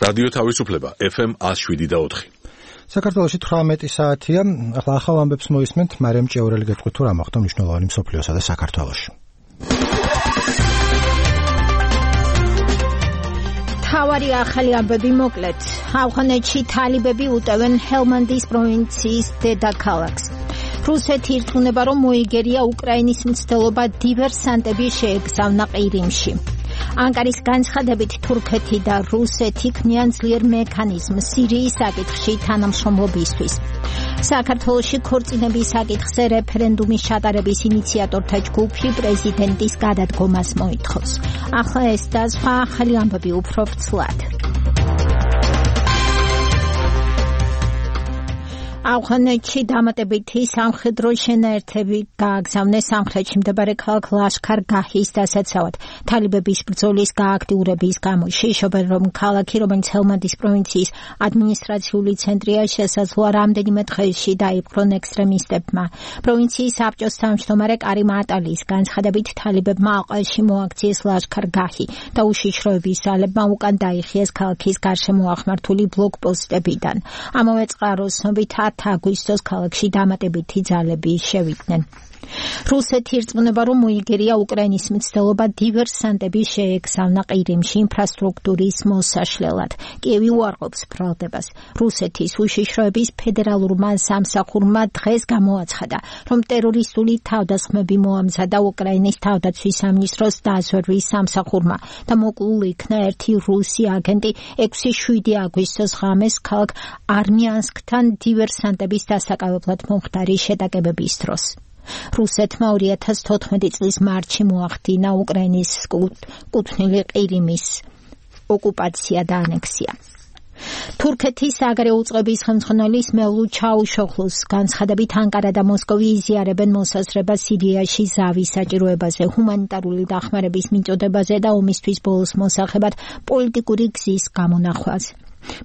რადიო თავისუფლება FM 107.4. საქართველოში 18 საათია. ახლა ახალ ამბებს მოისმენთ. მარიამ ჭეურელი გეტყვით თუ რა მოხდა მნიშვნელოვანი მსოფლიოსა და საქართველოში. თავარი ახალი ამბები მოკლედ. ავღანეთში თალიბები უტევენ ჰელმანდის პროვინციის დედაქალაქს. რუსეთი ირწმუნება, რომ მოიგერია უკრაინის მცდელობა დივერსანტები შეეგზავნა ყირიმში. ანკარის განცხადებით თურქეთი და რუსეთი ქმნიან ძლიერ მექანიზმს სირიის საკითხში თანამშრომლობისთვის. საქართველოში ქორწინების საკითხზე რეფერენდუმის ჩატარების ინიციატორთა ჯგუფი პრეზიდენტის გადადგომას მოითხოვს. ახლა ეს და სხვა ახალი ამბები უფრო ვრცლად. ავღანეთში დამატებითი სამხედრო შენაერთები გააგზავნეს სამხრეთში მდებარე ქალაქ ლაშქარ-გაჰის დასაცავად. თალიბების ბრძოლის გააქტიურების გამო შეშობენ, რომ ქალაქი, რომელიც ჰელმანდის პროვინციის ადმინისტრაციული ცენტრია, შესაძლოა რამდენიმე დღეში დაიპყრონ ექსტრემისტებმა. პროვინციის საბჭოს თავმჯდომარე კარიმ ატალის განცხადებით, თალიბებმა ალყაში მოაქციეს ლაშქარ-გაჰი და უშიშროების ძალებმა უკან დაიხიეს ქალაქის გარშემო აღმართული ბლოკპოსტებიდან. ამავე წყაროს ცნობით 10 აგვისტოს ქალაქში დამატებითი ძალები შევიდნენ. რუსეთი ირწმუნება, რომ მოიგერია უკრაინის მცდელობა დივერსანტები შეეგზავნა ყირიმში ინფრასტრუქტურის მოსაშლელად. კიევი უარყოფს ბრალდებას. რუსეთის უშიშროების ფედერალურმა სამსახურმა დღეს გამოაცხადა, რომ ტერორისტული თავდასხმები მოამზადა უკრაინის თავდაცვის სამინისტროს დაზვერვის სამსახურმა და მოკლულ იქნა ერთი რუსი აგენტი 6-7 აგვისტოს ღამეს ქალაქ არმიანსკთან დივერსანტების დასაკავებლად მომხდარი შეტაკებების დროს. რუსეთმა 2014 წლის მარტში მოახდინა უკრაინის კუთვნილი ყირიმის ოკუპაცია და ანექსია. თურქეთის საგარეო უწყების ხელმძღვანელის მევლუდ ჩაუშოხლუს განცხადებით, ანკარა და მოსკოვი იზიარებენ მოსაზრებას სირიაში ზავის საჭიროებაზე, ჰუმანიტარული დახმარების მიწოდებაზე და ომისთვის ბოლოს მოსახებად პოლიტიკური გზის გამონახვაზე.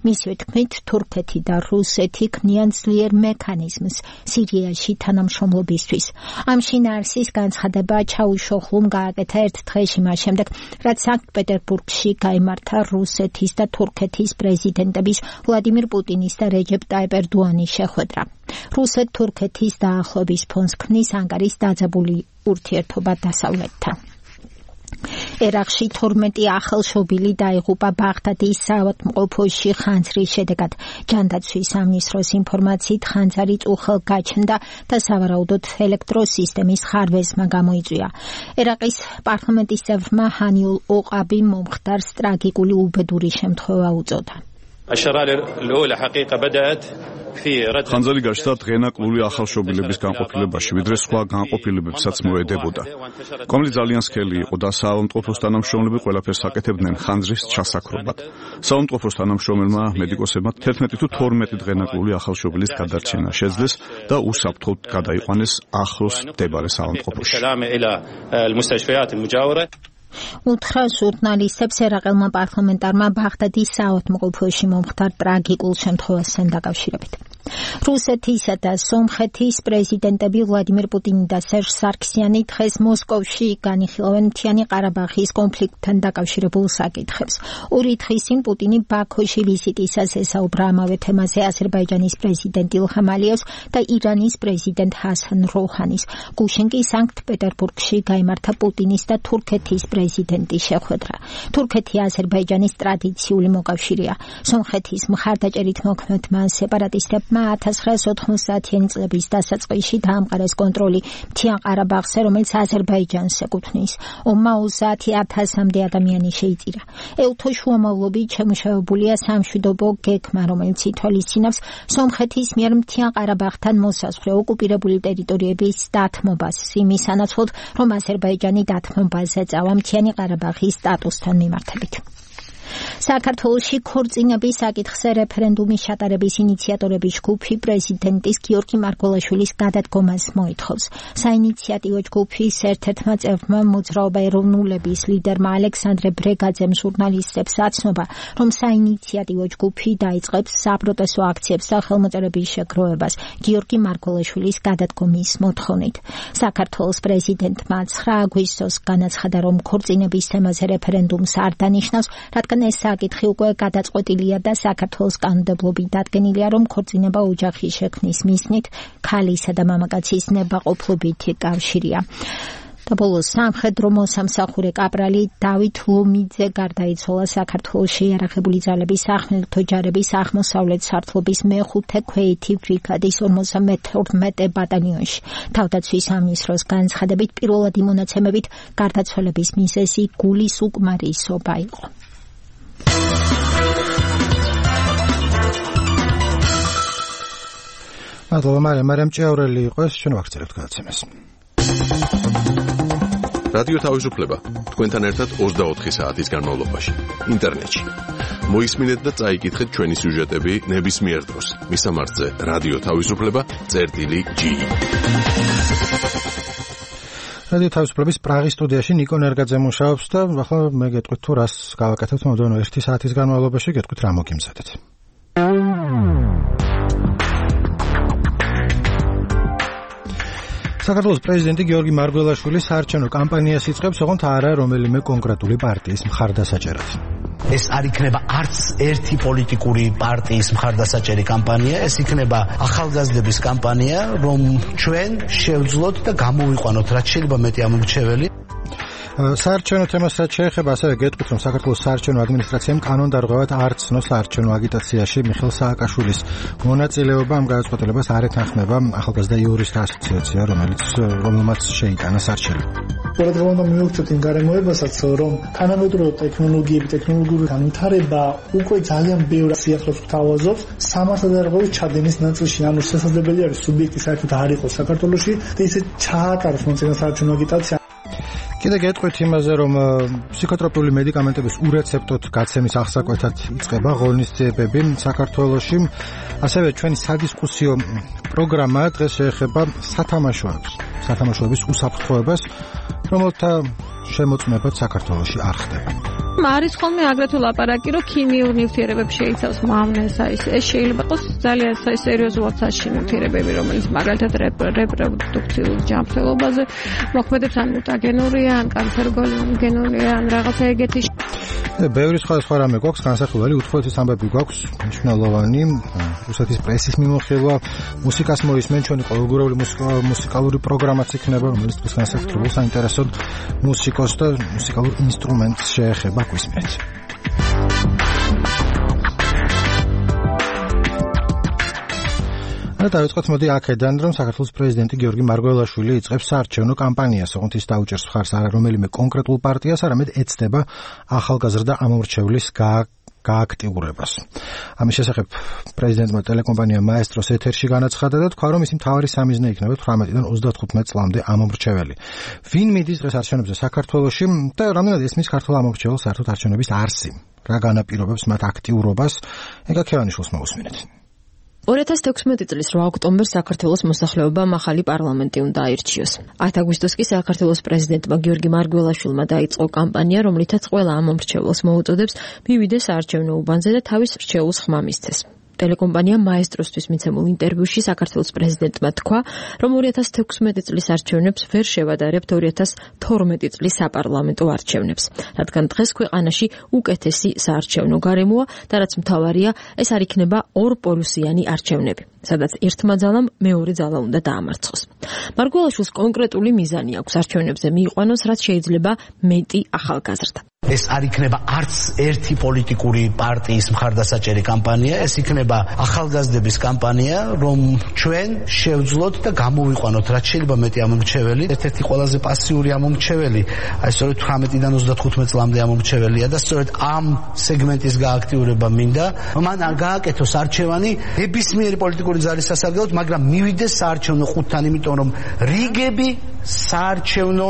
მისივე თქმით, თურქეთი და რუსეთი ქმნიან ძლიერ მექანიზმს სირიაში თანამშრომლობისთვის. ამ შინაარსის განცხადება ჩაუშოხლუმ გააკეთა ერთ დღეში მას შემდეგ, რაც სანქტ-პეტერბურგში გაიმართა რუსეთის და თურქეთის პრეზიდენტების ვლადიმირ პუტინის და რეჯეპ ტაიპ ერდოანის შეხვედრა. რუსეთ-თურქეთის დაახლოების ფონს ქმნის ანკარის დაძაბული ურთიერთობა დასავლეთთან. ერაყში 12 ახალშობილი დაიღუპა ბაღდადის საავადმყოფოში ხანძრის შედეგად. ჯანდაცვის სამინისტროს ინფორმაციით ხანძარი წუხელ გაჩნდა და სავარაუდოდ ელექტროსისტემის ხარვეზმა გამოიწვია. ერაყის პარლამენტის წევრმა ჰანიულ ოყაბი მომხდარს ტრაგიკული უბედური შემთხვევა უწოდა. ხანძარი გაჩნდა დღენაკლული ახალშობილების განყოფილებაში, ვიდრე სხვა განყოფილებებსაც მოედებოდა. კომლი ძალიან სქელი იყო და საავადმყოფოს თანამშრომლები ყველაფერს აკეთებდნენ ხანძრის ჩასაქრობად. საავადმყოფოს თანამშრომელმა მედიკოსებმა 11 თუ 12 დღენაკლული ახალშობილის გადარჩენა შეძლეს და უსაფრთხოდ გადაიყვანეს ახლოს მდებარე საავადმყოფოში. უთხრა ჟურნალისტებს ერაყელმა პარლამენტარმა ბაღდადის საავადმყოფოში მომხდარ ტრაგიკულ შემთხვევასთან დაკავშირებით. რუსეთისა და სომხეთის პრეზიდენტები ვლადიმირ პუტინი და სერჟ სარქსიანი დღეს მოსკოვში განიხილავენ მთიანი ყარაბაღის კონფლიქტთან დაკავშირებულ საკითხებს. ორი დღის წინ პუტინი ბაქოში ვიზიტისას ესაუბრა ამავე თემაზე აზერბაიჯანის პრეზიდენტ ილჰამ ალიევს და ირანის პრეზიდენტ ჰასან როჰანის. გუშინ კი სანქტ-პეტერბურგში გაიმართა პუტინის და თურქეთის პრეზიდენტის შეხვედრა. თურქეთი აზერბაიჯანის ტრადიციული მოკავშირეა. სომხეთის მხარდაჭერით მოქმედმა სეპარატისტებმა 1990-იანი წლების დასაწყისში დაამყარეს კონტროლი მთიან ყარაბაღზე, რომელიც აზერბაიჯანს ეკუთვნის. ომმა 30,000-მდე ადამიანი შეიწირა. ელთო შუამავლობით შემუშავებულია სამშვიდობო გეგმა, რომელიც ითვალისწინებს სომხეთის მიერ მთიან ყარაბაღთან მოსაზღვრე ოკუპირებული ტერიტორიების დათმობას, იმის სანაცვლოდ, რომ აზერბაიჯანი დათმობაზე წავა მთიანი ყარაბაღის სტატუსთან მიმართებით. საქართველოში ქორწინების საკითხზე რეფერენდუმის ჩატარების ინიციატორების ჯგუფი პრეზიდენტის გიორგი მარგველაშვილის გადადგომას მოითხოვს. საინიციატივო ჯგუფის ერთ-ერთმა წევრმა მოძრაობა ეროვნულების ლიდერმა ალექსანდრე ბრეგაძემ ჟურნალისტებს აცნობა, რომ საინიციატივო ჯგუფი დაიწყებს საპროტესტო აქციებს და ხელმოწერების შეგროვებას გიორგი მარგველაშვილის გადადგომის მოთხოვნით. საქართველოს პრეზიდენტმა 9 აგვისტოს განაცხადა, რომ ქორწინების თემაზე რეფერენდუმს არ დანიშნავს, რადგან თუმცა ეს საკითხი უკვე გადაწყვეტილია და საქართველოს კანონმდებლობით დადგენილია, რომ ქორწინება ოჯახის შექმნის მიზნით ქალისა და მამაკაცის ნებაყოფლობითი კავშირია. და ბოლოს სამხედრო მოსამსახურე კაპრალი დავით ლომიძე გარდაიცვალა საქართველოში იარაღებული ძალების სახმელეთო ჯარების აღმოსავლეთ სართლობის მეხუთე ქვეითი ბრიგადის 52 ბატალიონში. თავდაცვის სამინისტროს განცხადებით პირველადი მონაცემებით გარდაცვალების მიზეზი გულის უკმარისობა იყო. მადლობა მარიამ ჭეაურელი იყო ეს ჩვენ ვაქცევთ გადაცემას. რადიო თავისუფლება თქვენთან ერთად 24 საათის განმავლობაში ინტერნეტში. მოისმინეთ და წაიკითხეთ ჩვენი სიუჟეტები ნებისმიერ დროს. მისამართზე რადიო თავისუფლება.gi. რადიო თავისუფლების პრაღის სტუდიაში ნიკო ნერგაძე მუშაობს და ახლა მე გეტყვით თუ რას გავაკეთებთ მომდევნო 1 საათის განმავლობაში, გეტყვით რა მოგიმზადეთ. საქართველოს პრეზიდენტი გიორგი მარგველაშვილი საარჩევნო კამპანიას იწყებს, ოღონდ არა რომელიმე კონკრეტული პარტიის მხარდასაჭერად. ეს არ იქნება არც ერთი პოლიტიკური პარტიის მხარდასაჭერი კამპანია, ეს იქნება ახალგაზრდების კამპანია, რომ ჩვენ შევძლოთ და გამოვიყვანოთ რაც შეიძლება მეტი ამორჩეველი. საარჩევნო თემასაც შეეხება, ასევე გეტყვით, რომ საქართველოს საარჩევნო ადმინისტრაციამ კანონდარღვევად არ ცნოს საარჩევნო აგიტაციაში მიხეილ სააკაშვილის მონაწილეობა. ამ გადაწყვეტილებას არ ეთანხმება ახალგაზრდა იურისტთა ასოციაცია, რომელმაც შეიტანა სარჩელი. ყურადღება მივუქცევთ იმ გარემოებასაც, რომ თანამედროვე ტექნოლოგიური განვითარება უკვე ძალიან ბევრ სიახლოვეს გვთავაზობს სამართალდარღვევის ჩადენის ნაწილში, ანუ შესაძლებელი არის სუბიექტი საერთოდ არ იყოს საქართველოში და ისე ჩაატაროს მომწინო საარჩევნო აგიტაცია. კიდე გეტყვით იმაზე, რომ ფსიქოტროპიული მედიკამენტების ურეცეპტოდ გაცემის აღსაკვეთად იწყება ღონისძიებები საქართველოში. ასევე ჩვენი სადისკუსიო პროგრამა დღეს შეეხება სათამაშოების უსაფრთხოებას, რომელთა შემოწმებაც საქართველოში არ ხდება. არის ხოლმე აგრეთვე ლაპარაკი, რომ ქიმიურ ნივთიერებებს შეიცავს მავნეს, ეს შეიძლება იყოს ძალიან სერიოზულად საშინო ნივთიერებები, რომელიც მაგალითად რეპროდუქციულ ჯანმრთელობაზე მოქმედებს, ან მუტაგენურია, ან კანცეროგენურია, ან რაღაცა ეგეთი. ბევრი სხვა რამე გვაქვს განსახილველი, უთხოვეთის ამბები გვაქვს მნიშვნელოვანი, რუსეთის პრესის მიმოხილვა, მუსიკას მოისმენ, ჩვენი ყოველგვარული მუსიკალური პროგრამაც იქნება, რომელიც დღეს განსაკუთრებულ საინტერესო მუსიკოს და მუსიკალურ ინსტრუმენტს შეეხება გვისმენთ. დავიწყოთ მოდი აქედან, რომ საქართველოს პრეზიდენტი გიორგი მარგველაშვილი იწყებს საარჩევნო კამპანიას, ოღონდ ის დაუჭერს მხარს არა რომელიმე კონკრეტულ პარტიას, არამედ ეცდება ახალგაზრდა ამომრჩევლის გააქტიურებას. ამის შესახებ პრეზიდენტმა ტელეკომპანია მაესტროს ეთერში განაცხადა და თქვა, რომ ისი მთავარი სამიზნე იქნება 18-დან 35 წლამდე ამომრჩეველი. ვინ მიდის დღეს არჩევნებზე საქართველოში და რამდენად ესმის ქართულ ამომრჩეველს საერთოდ არჩევნების არსი? რა განაპირობებს მათ აქტიურობას? ეგა ქევანიშვილს მოусმინეთ. 2016 წლის 8 ოქტომბერს საქართველოს მოსახლეობამ ახალი პარლამენტი უნდა აირჩიოს. 10 აგვისტოს კი საქართველოს პრეზიდენტმა გიორგი მარგველაშვილმა დაიწყო კამპანია, რომლითაც ყველა ამომრჩეველს მოუწოდებს მივიდეს საარჩევნო უბანზე და თავის რჩეულს ხმა მისცეს. ტელეკომპანია მაესტროსთვის მიცემულ ინტერვიუში საქართველოს პრეზიდენტმა თქვა, რომ 2016 წლის არჩევნებს ვერ შევადარებთ 2012 წლის საპარლამენტო არჩევნებს, რადგან დღეს ქვეყანაში უკეთესი საარჩევნო გარემოა და რაც მთავარია, ეს არ იქნება ორპოლუსიანი არჩევნები, სადაც ერთმა ძალამ მეორე ძალა უნდა დაამარცხოს. მარგველაშვილს კონკრეტული მიზანი აქვს არჩევნებზე მიიყვანოს, რაც შეიძლება მეტი ახალგაზრდა. ეს არ იქნება არც ერთი პოლიტიკური პარტიის მხარდასაჭერი კამპანია, ეს იქნება ახალგაზრდების კამპანია, რომ ჩვენ შევძლოთ და გამოვიყვანოთ რაც შეიძლება მეტი ამომრჩეველი. ერთ-ერთი ყველაზე პასიური ამომრჩეველი, აი სწორედ 18-დან 35 წლამდე ამომრჩეველია და სწორედ ამ სეგმენტის გააქტიურება მინდა. მან გააკეთოს არჩევანი ნებისმიერი პოლიტიკური ძალის სასარგებლოდ, მაგრამ მივიდეს საარჩევნო ყუთთან, იმიტომ რომ რიგები საარჩევნო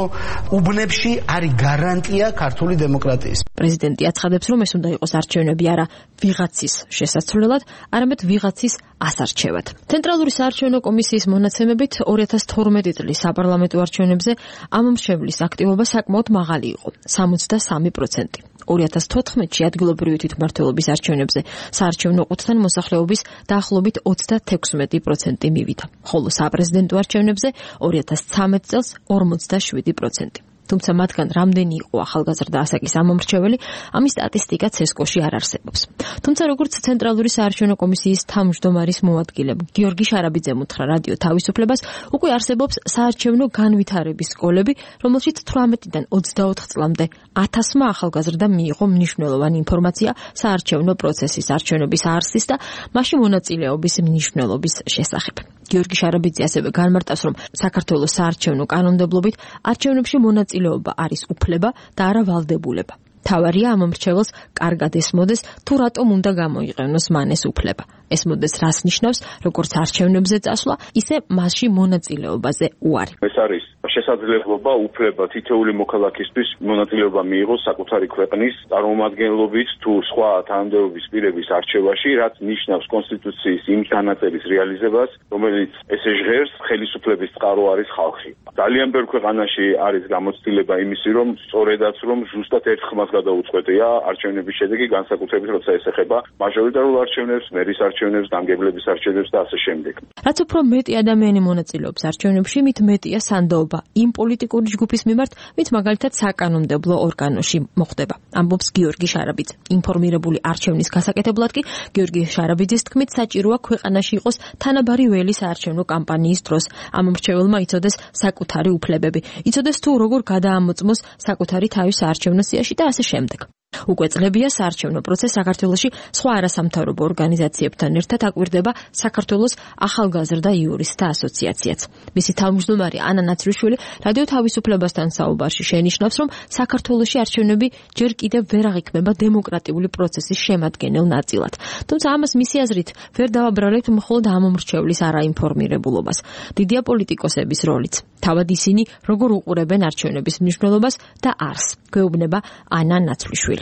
უბნებში არის გარანტია ქართული დემოკრატიის. პრეზიდენტი აცხადებს, რომ ეს უნდა იყოს არჩევნები არა ვიღაცის შესასრულებლად, არამედ ვიღაცის ასარჩევად. ცენტრალური საარჩევნო კომისიის მონაცემებით 2012 წლის საპარლამენტო არჩევნებზე ამომრჩევლის აქტივობა საკმაოდ მაღალი იყო, 63%. 2014-ში ადგილობრივი თვითმმართველობის არჩევნებზე საარჩევნო ყუთთან მოსახლეობის დაახლოებით 36% მივიდა, ხოლო საპრეზიდენტო არჩევნებზე 2013 წელს 47%. თუმცა მათგან რამდენი იყო ახალგაზრდა ასაკის ამომრჩეველი, ამის სტატისტიკა CESCO-ში არ არსებობს. თუმცა როგორც ცენტრალური საარჩევნო კომისიის თავმჯდომარის მოადგილე გიორგი შარაბიძემ უთხრა რადიო თავისუფლებას, უკვე არსებობს საარჩევნო განვითარების სკოლები, რომელშიც 18-დან 24 წლამდე 1000-მა ახალგაზრდა მიიღო მნიშვნელოვანი ინფორმაცია საარჩევნო პროცესის, არჩევნების არსის და მასში მონაწილეობის მნიშვნელობის შესახებ. გიორგი შარაბიძე ასევე განმარტავს, რომ საქართველოს საარჩევნო კანონმდებლობით არჩევნებში მონაწილეობა არის უფლება და არა ვალდებულება. თავარია ამომრჩეველს კარგად ესმოდეს, თუ რატომ უნდა გამოიყენოს მან ეს უფლება. ესმოდეს რას ნიშნავს, როგორც არჩევნებზე წასვლა, ისე მასში მონაწილეობაზე უარი. ეს არის შესაძლებლობა, უფლება თითოეული მოქალაქისთვის მონაწილეობა მიიღოს საკუთარი ქვეყნის წარმომადგენლობით თუ სხვა თანამდებობის პირების არჩევაში, რაც ნიშნავს კონსტიტუციის იმ განაწელის რეალიზებას, რომელიც ესე ჟღერს ხელისუფლების წყარო არის ხალხი. ძალიან ბევრ ქვეყანაში არის გამოცდილება იმისი, რომ სწორედაც რომ ზუსტად ერთ ხმას გადაუწყვეტია არჩევნების შედეგი, განსაკუთრებით როცა ეს ეხება მაჟორიტარულ არჩევნებს, მერის არჩევნებს, დამგებლების არჩევნებს და ასე შემდეგ. რაც უფრო მეტი ადამიანი მონაწილეობს არჩევნებში, მით მეტია სანდოობა იმ პოლიტიკური ჯგუფის მიმართ, ვინც მაგალითად საკანონმდებლო ორგანოში მოხვდება. ამბობს გიორგი შარაბიძე. ინფორმირებული არჩევნის გასაკეთებლად კი გიორგი შარაბიძის თქმით საჭიროა ქვეყანაში იყოს თანაბარი ველი საარჩევნო კამპანიის დროს. ამომრჩეველმა იცოდეს საკუთარი უფლებები, იცოდეს თუ როგორ გადაამოწმოს საკუთარი თავი საარჩევნო სიაში და ასე შემდეგ. უკვე წლებია საარჩევნო პროცესი საქართველოში სხვა არასამთავრობო ორგანიზაციებთან ერთად აკვირდება საქართველოს ახალგაზრდა იურისტთა ასოციაციაც. მისი თავმჯდომარე ანა ნაცრიშვილი რადიო თავისუფლებასთან საუბარში შენიშნავს, რომ საქართველოში არჩევნები ჯერ კიდევ ვერ აღიქმება დემოკრატიული პროცესის შემადგენელ ნაწილად. თუმცა ამას მისი აზრით ვერ დავაბრალებთ მხოლოდ ამომრჩევლის არაინფორმირებულობას. დიდია პოლიტიკოსების როლიც. თავად ისინი როგორ უყურებენ არჩევნების მნიშვნელობას და არსს, გვეუბნება ანა ნაცრიშვილი.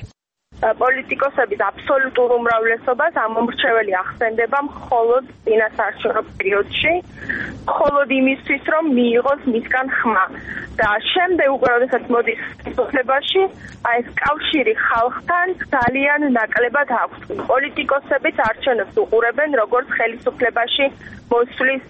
პოლიტიკოსების აბსოლუტურ უმრავლესობას ამომრჩეველი ახსენდება მხოლოდ წინასაარჩევნო პერიოდში, მხოლოდ იმისთვის, რომ მიიღოს მისგან ხმა. და შემდეგ უკვე როდესაც მოდის ხელისუფლებაში, ეს კავშირი ხალხთან ძალიან ნაკლებად აქვს. პოლიტიკოსებიც არჩევნებს უყურებენ როგორც ხელისუფლებაში მოსვლის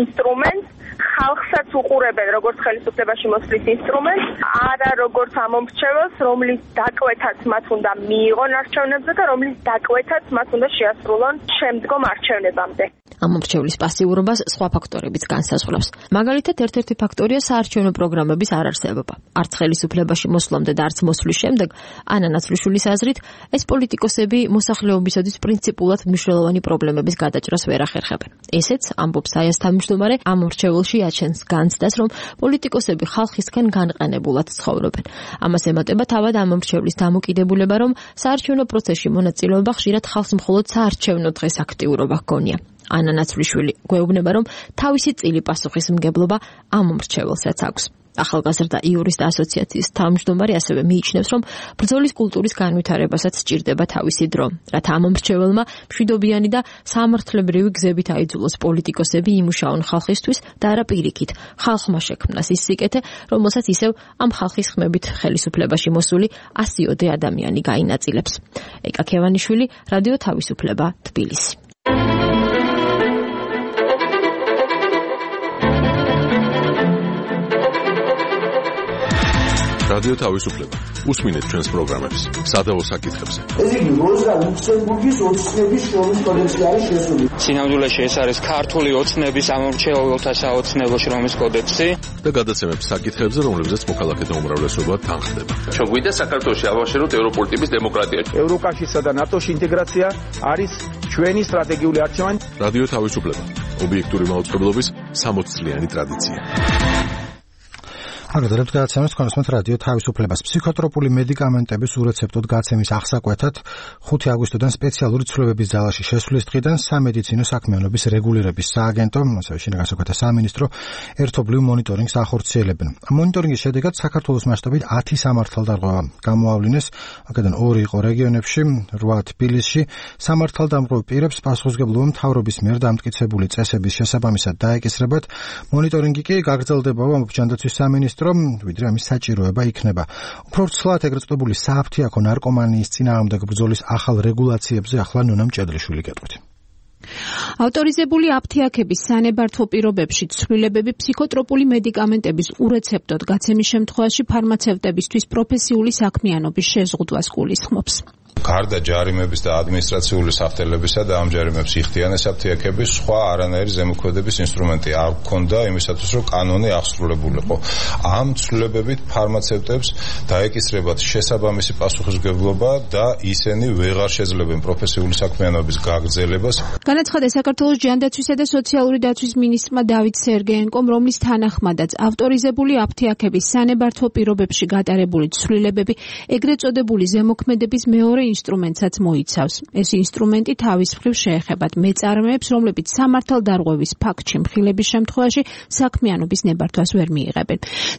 ინსტრუმენტს, ხალხსაც უყურებენ როგორც ხელისუფლებაში მოსვლის ინსტრუმენტს, არა როგორც ამომრჩეველს, რომლის დაკვეთაც მათ უნდა მიიღონ არჩევნებზე და რომლის დაკვეთაც მათ უნდა შეასრულონ შემდგომ არჩევნებამდე. ამომრჩევლის პასიურობას სხვა ფაქტორებიც განსაზღვრავს. მაგალითად, ერთ-ერთი ფაქტორია საარჩევნო პროგრამების არარსებობა. არც ხელისუფლებაში მოსვლამდე და არც მოსვლის შემდეგ, ანა ნაცრიშვილის აზრით, ეს პოლიტიკოსები მოსახლეობისათვის პრინციპულად მნიშვნელოვანი პრობლემების გადაჭრას ვერ ახერხებენ. ესეც, ამბობს საიას თავმჯდომარე, ამომრჩეველში აჩენს განცდას, რომ პოლიტიკოსები ხალხისგან განყენებულად ცხოვრობენ. ამას ემატება თავად ამომრჩევლის დამოკიდებულება, რომ საარჩევნო პროცესში მონაწილეობა ხშირად ხალხს მხოლოდ საარჩევნო დღეს აქტიურობა ჰგონია. ანა ნაცრიშვილი გვეუბნება, რომ თავისი წილი პასუხისმგებლობა ამომრჩეველსაც აქვს. ახალგაზრდა იურისტთა ასოციაციის თავმჯდომარე ასევე მიიჩნევს, რომ ბრძოლის კულტურის განვითარებასაც სჭირდება თავისი დრო, რათა ამომრჩეველმა მშვიდობიანი და სამართლებრივი გზებით აიძულოს პოლიტიკოსები იმუშაონ ხალხისთვის და არა პირიქით, ხალხმა შექმნას ის სიკეთე, რომელსაც ისევ ამ ხალხის ხმებით ხელისუფლებაში მოსული 100-ოდე ადამიანი გაინაწილებს. ეკა ქევანიშვილი, რადიო თავისუფლება, თბილისი. რადიო თავისუფლება. უსმინეთ ჩვენს პროგრამებს. სადავო საკითხებზე. ეს იგი როზა ლუქსემბურგის ოცნების შრომის კოდექსი არის შესული. სინამდვილეში ეს არის ქართული ოცნების ამომრჩეველთა საოცნებო შრომის კოდექსი და გადაცემებს საკითხებზე, რომლებზეც მოქალაქეთა უმრავლესობა თანხდება. ჩვენგვიდა საქართველოში ავაშეროთ ევროპული ტიპის დემოკრატია. ევროკავშირსა და ნატოში ინტეგრაცია არის ჩვენი სტრატეგიული არჩევანი. რადიო თავისუფლება. ობიექტური მაუწყებლობის 60 წლიანი ტრადიცია. აგრეთვე გადაცემას კონსუმენტ რადიო თავისუფლებას ფსიქოტროპული მედიკამენტების ურეცეპტოდ გაცემის აღსაკვეთად 5 აგვისტოდან სპეციალური ცვლილებების ძალაში შესვლის დღიდან სამედიცინო საქმიანობის რეგულირების სააგენტო, ასევე შინაგან საქმეთა სამინისტრო ერთობლივ მონიტორინგს ახორციელებენ. მონიტორინგის შედეგად საქართველოს მასშტაბით 10 სამართალდამღობა გამოავლინეს, აქედან 2 იყო რეგიონებში, 8 თბილისში. სამართალდამღობ პირებს პასუხისმგებლობა მთავრობის მიერ დამტკიცებული წესების შესაბამისად დაეკისრებათ. მონიტორინგი კი გაგრძელდება ჯანდაცვის სამინისტრო ვიდრე ამის საჭიროება იქნება. უფრო ცლად ეგრეთ წოდებული სააფთიაქო ნარკომანიის წინააღმდეგ ბრძოლის ახალ რეგულაციებზე ახლა ნონა მჭედლიშვილი გეტყვით. ავტორიზებული აფთიაქების სანებართვო პირობებში ცვლილებები ფსიქოტროპული მედიკამენტების ურეცეპტოდ გაცემის შემთხვევაში ფარმაცევტებისთვის პროფესიული საქმიანობის შეზღუდვას გულისხმობს. გარდა ჯარიმების და ადმინისტრაციული საფრთხელებისა და ამ ჯარიმებს იხდიან ეს აფთიაქების სხვა არანაირი ზემოქმედების ინსტრუმენტი არ ჰქონდა იმისათვის რომ კანონი აღსრულებულიყო. ამ ცვლილებებით ფარმაცევტებს დაეკისრებათ შესაბამისი პასუხისმგებლობა და ისინი ვეღარ შეძლებენ პროფესიული საქმიანობის გაგრძელებას. განაცხადა საქართველოს ჯანდაცვისა და სოციალური დაცვის მინისტრმა დავით სერგეენკომ, რომლის თანახმადაც ავტორიზებული აფთიაქების სანებართვო პირობებში გატარებული ცვლილებები ეგრეთ წოდებული ზემოქმედების მეორე ინსტრუმენტსაც მოიცავს. ეს ინსტრუმენტი თავის მხრივ შეეხებათ მეწარმეებს, რომლებიც სამართალდარღვევის ფაქტში მხილების შემთხვევაში საქმიანობის ნებართვას ვერ მიიღებენ.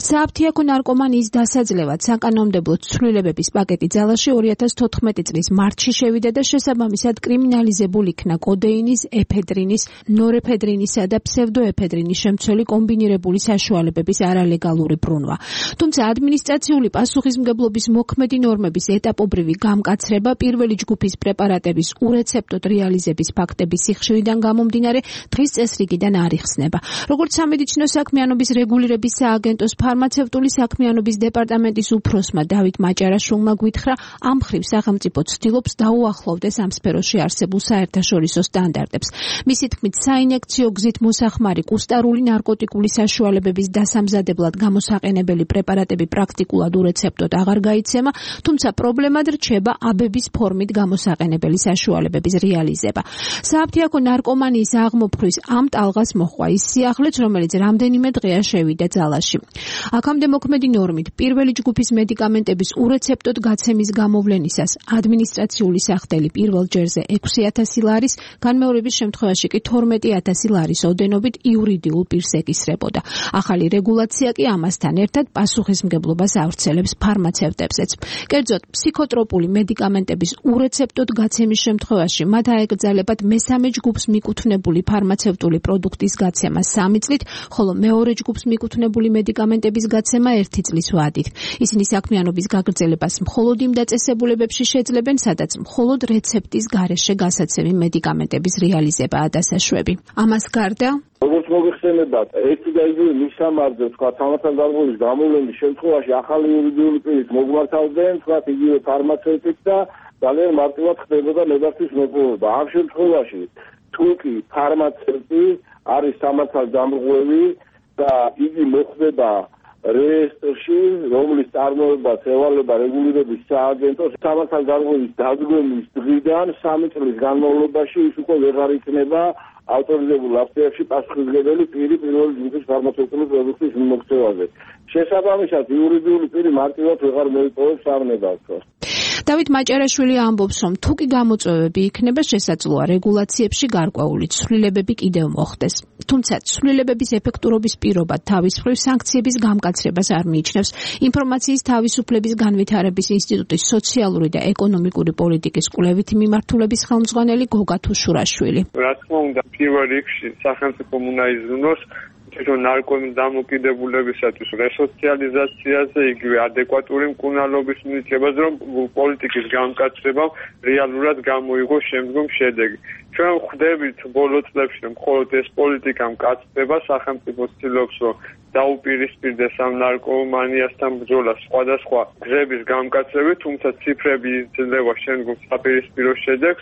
სააფთიაქო ნარკომანიის დასაძლევად საკანონმდებლო ცვლილებების პაკეტი ძალაში 2014 წლის მარტში შევიდა და შესაბამისად კრიმინალიზებულ იქნა კოდეინის, ეფედრინის, ნორეფედრინისა და ფსევდოეფედრინის შემცველი კომბინირებული საშუალებების არალეგალური ბრუნვა. თუმცა ადმინისტრაციული პასუხისმგებლობის მოქმედი ნორმების ეტაპობრივი გამკაცრება პირველი ჯგუფის პრეპარატების ურეცეპტოდ რეალიზების ფაქტების სიხშირიდან გამომდინარე დღის წესრიგიდან არ იხსნება. როგორც სამედიცინო საქმიანობის რეგულირების სააგენტოს ფარმაცევტული საქმიანობის დეპარტამენტის უფროსმა დავით მაჭარაშვილმა გვითხრა, ამ მხრივ სახელმწიფო ცდილობს დაუახლოვდეს ამ სფეროში არსებულ საერთაშორისო სტანდარტებს. მისი თქმით, საინიექციო გზით მოსახმარი კუსტარული ნარკოტიკული საშუალებების დასამზადებლად გამოსაყენებელი პრეპარატები პრაქტიკულად ურეცეპტოდ აღარ გაიცემა, თუმცა პრობლემად რჩება აბების ფორმით გამოსაყენებელი საშუალებების რეალიზება. სააფთიაქო ნარკომანიის აღმოფხვის ამ ტალღას მოჰყვა ის სიახლეც, რომელიც რამდენიმე დღეა შევიდა ძალაში. აქამდე მოქმედი ნორმით პირველი ჯგუფის მედიკამენტების ურეცეპტოდ გაცემის გამოვლენისას ადმინისტრაციული სახდელი პირველ ჯერზე 6,000 ლარის, განმეორების შემთხვევაში კი 12,000 ლარის ოდენობით იურიდიულ პირს ეკისრებოდა. ახალი რეგულაცია კი ამასთან ერთად პასუხისმგებლობას ავრცელებს ფარმაცევტებზეც. კერძოდ, ფსიქოტროპული მედიკამენტების ურეცეპტოდ გაცემის შემთხვევაში მათ აეკრძალებათ მესამე ჯგუფს მიკუთვნებული ფარმაცევტული პროდუქტის გაცემა 3 წლით, ხოლო მეორე ჯგუფს მიკუთვნებული მედიკამენტების გაცემა 1 წლის ვადით. ისინი საქმიანობის გაგრძელებას მხოლოდ იმ დაწესებულებებში შეძლებენ, სადაც მხოლოდ რეცეპტის გარეშე გასაცემი მედიკამენტების რეალიზებაა დასაშვები. ამას გარდა როგორც მოგეხსენებათ, ერთი და იგივე მისამართზე, თქვა, სამართალდარღვევის გამოვლენის შემთხვევაში ახალი იურიდიული პირით მოგმართავდნენ, თქვა, იგივე ფარმაცევტიც და ძალიან მარტივად ხდებოდა ნებართვის მოპოვება. ამ შემთხვევაში თუ კი ფარმაცევტი არის სამართალდამრღვევი და იგი მოხდება რეესტრში, რომლის წარმოებას ევალება რეგულირების სააგენტო, სამართალდარღვევის დადგომის დღიდან 3 წლის განმავლობაში ის უკვე ვეღარ იქნება ავტორიზებულ აფთიაქში პასუხისმგებელი პირი პირველი ჯგუფის ფარმაცევტული პროდუქტის მიმოქცევაზე. შესაბამისად, იურიდიული პირი მარტივად ვეღარ მოიპოვებს ამ ნებართვას. დავით მაჭარაშვილი ამბობს, რომ თუ კი გამოწვევები იქნება, შესაძლოა რეგულაციებში გარკვეული ცვლილებები კიდევ მოხდეს. თუმცა ცვლილებების ეფექტურობის პირობა თავის მხრივ სანქციების გამკაცრებას არ მიიჩნევს. ინფორმაციის თავისუფლების განვითარების ინსტიტუტის სოციალური და ეკონომიკური პოლიტიკის კვლევითი მიმართულების ხელმძღვანელი გოგა თუშურაშვილი. რა თქმა უნდა, პირველ რიგში სახელმწიფომ უნდა იზრუნოს თვითონ ნარკომის დამოკიდებულებისათვის რესოციალიზაციაზე, იგივე ადეკვატური მკურნალობის მიცემაზე, რომ პოლიტიკის გამკაცრებამ რეალურად გამოიღოს შემდგომ შედეგი. ჩვენ ხვდებით ბოლო წლებში, რომ მხოლოდ ეს პოლიტიკა მკაცრდება, სახელმწიფო ცდილობს, რომ დაუპირისპირდეს ამ ნარკომანიასთან ბრძოლას სხვადასხვა გზების გამკაცრებით, თუმცა ციფრები იძლევა შემდგომ საპირისპირო შედეგს.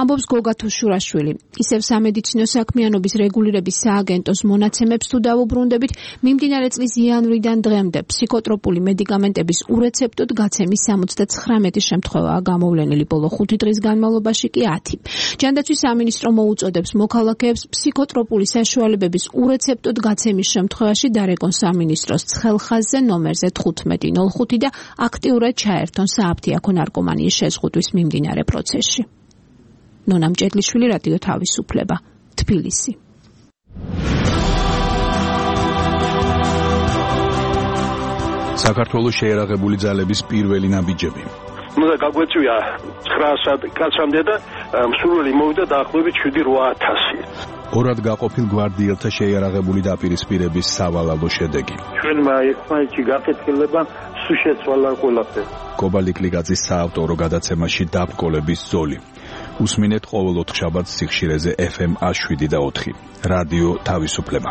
ამბობს გოგა თუშურაშვილი. ისევ სამედიცინო საქმიანობის რეგულირების სააგენტოს მონაცემებს თუ დავუბრუნდებით, მიმდინარე წლის იანვრიდან დღემდე ფსიქოტროპული მედიკამენტების ურეცეპტოდ გაცემის 79 შემთხვევაა გამოვლენილი, ბოლო 5 დღის განმავლობაში კი 10. ჯანდაცვის სამინისტრო მოუწოდებს მოქალაქეებს ფსიქოტროპული საშუალებების ურეცეპტოდ გაცემის შემთხვევაში დარეკონ სამინისტროს ცხელხაზზე ნომერზე 1505 და აქტიურად ჩაერთონ სააფთიაქო ნარკომანიის შეზღუდვის მიმდინარე პროცესში. ნონა მჭედლიშვილი, რადიო თავისუფლება, თბილისი. საქართველოს შეერაღებული ძალების პირველი ნაბიჯები. უნდა გაგვეწვია 900 კაცამდე და მსურველი მოვიდა დაახლოებით 7-8000. ორად გაყოფილ გვარდიელთა შეიარაღებული დაპირისპირების სავალალო შედეგი. ჩვენმა ერთმანეთში გაკეთილება სულ შეცვალა ყველაფერი. კობალიკლიკაძის საავტორო გადაცემაში დაბრკოლების ზოლი. უსმინეთ ყოველ 4 შაბათს სიხშირეზე FM 107.4. რადიო თავისუფლება.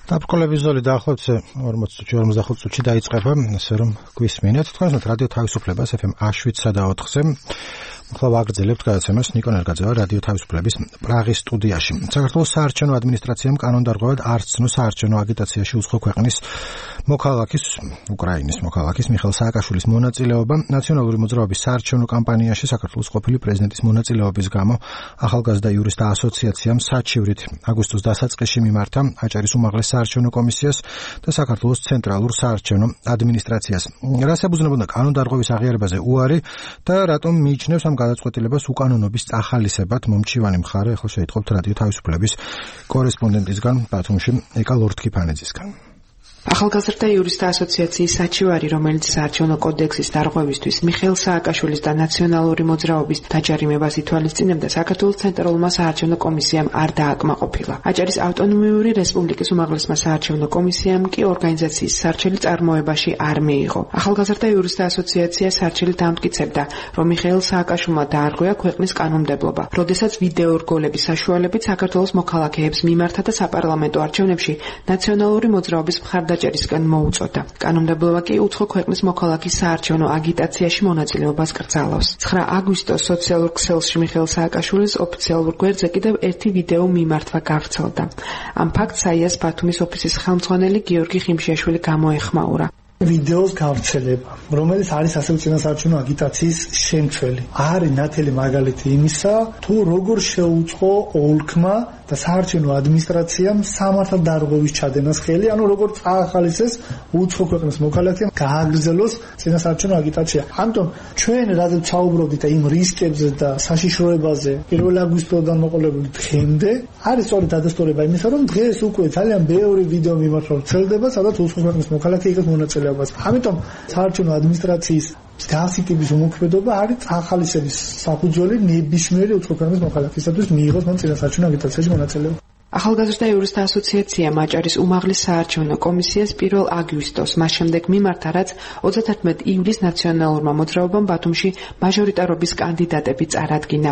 დაბრკოლების ზოლი დაახლოებით 40 წუთში დაიწყება, ასე რომ გვისმინეთ. თქვენს რადიო თავისუფლებას FM 107.4-ზე. ახლა ვაგრძელებთ გადაცემას ნიკო ნერგაძევა რადიო თავისუფლების პრაღის სტუდიაში. საქართველოს საარჩევნო ადმინისტრაციამ კანონდარღვევად არ ცნო საარჩევნო აგიტაციაში უცხო ქვეყნის უკრაინის მოქალაქის მიხეილ სააკაშვილის მონაწილეობა ნაციონალური მოძრაობის საარჩევნო კამპანიაში საქართველოს ყოფილი პრეზიდენტის მონაწილეობის გამო ახალგაზრდა იურისტთა ასოციაციამ საჩივრით აგვისტოს დასაწყისში მიმართა აჭარის უმაღლეს საარჩევნო კომისიას და საქართველოს ცენტრალურ საარჩევნო ადმინისტრაციას. რას ებრძნებოდა კანონდარღვევის აღიარებაზე უარი და რატომ მიიჩნევს ამ გადაწყვეტილებას უკანონობის წახალისებად მომჩივანი მხარე? ახლა შეიტყობთ რადიო თავისუფლების კორესპონდენტისგან ბათუმში ეკა ლორთქიფანიძისგან. ახალგაზრდა იურისტთა ასოციაციის საჩივარი, რომელიც საარჩევნო კოდექსის დარღვევისთვის მიხეილ სააკაშვილის და ნაციონალური მოძრაობის დაჯარიმებას ითვალისწინებდა, საქართველოს ცენტრალურმა საარჩევნო კომისიამ არ დააკმაყოფილა. აჭარის ავტონომიური რესპუბლიკის უმაღლესმა საარჩევნო კომისიამ კი ორგანიზაციის სარჩელი წარმოებაში არ მიიღო. ახალგაზრდა იურისტთა ასოციაცია სარჩელით ამტკიცებდა, რომ მიხეილ სააკაშვილმა დაარღვია ქვეყნის კანონმდებლობა, როდესაც ვიდეო რგოლების საშუალებით საქართველოს მოქალაქეებს მიმართა და საპარლამენტო არჩევნებში ნაციონალური მოძრაობის მხარდაჭერისგან მოუწოდა. კანონმდებლობა კი უცხო ქვეყნის მოქალაქის საარჩევნო აგიტაციაში მონაწილეობას კრძალავს. 9 აგვისტოს სოციალურ ქსელში მიხეილ სააკაშვილის ოფიციალურ გვერდზე კიდევ ერთი ვიდეო მიმართვა გავრცელდა. ამ ფაქტს საიას ბათუმის ოფისის ხელმძღვანელი გიორგი ხიმშიაშვილი გამოეხმაურა. ვიდეოს გავრცელება, რომელიც არის ასევე წინასაარჩევნო აგიტაციის შემცველი. არის ნათელი მაგალითი იმისა, თუ როგორ შეუწყო ოლქმა და საარჩევნო ადმინისტრაციამ სამართალ დარღვევის ჩადენას ხელი, ანუ როგორ წაახალისეს უცხო ქვეყნის მოქალაქეებმა გააგრძელოს წინასაარჩევნო აგიტაცია. ამიტომ ჩვენ რადგან საუბრობდით იმ რისკებზე და საშიშროებაზე 1 აგვისტოდან მოყოლებული დღემდე, არის სწორედ დადასტურება იმისა, რომ დღეს უკვე ძალიან ბევრი ვიდეო მიმართვა ვრცელდება, სადაც უცხო ქვეყნის მოქალაქე იღებს მონაწილეობას. ამიტომ საარჩევნო ადმინისტრაციის გასიკების უმოქმედობა არის წახალისების საფუძველი ნებისმიერი უცხო ქვეყნის მოქალაქისათვის მიიღოს მან წინასაარჩევნო აგიტაციაში მონაწილეობა. ახალგაზრდა იურისტთა ასოციაცია აჭარის უმაღლეს საარჩევნო კომისიას 1 აგვისტოს მას შემდეგ მიმართა, რაც 31 ივლისს ნაციონალურმა მოძრაობამ ბათუმში მაჟორიტარობის კანდიდატები წარადგინა.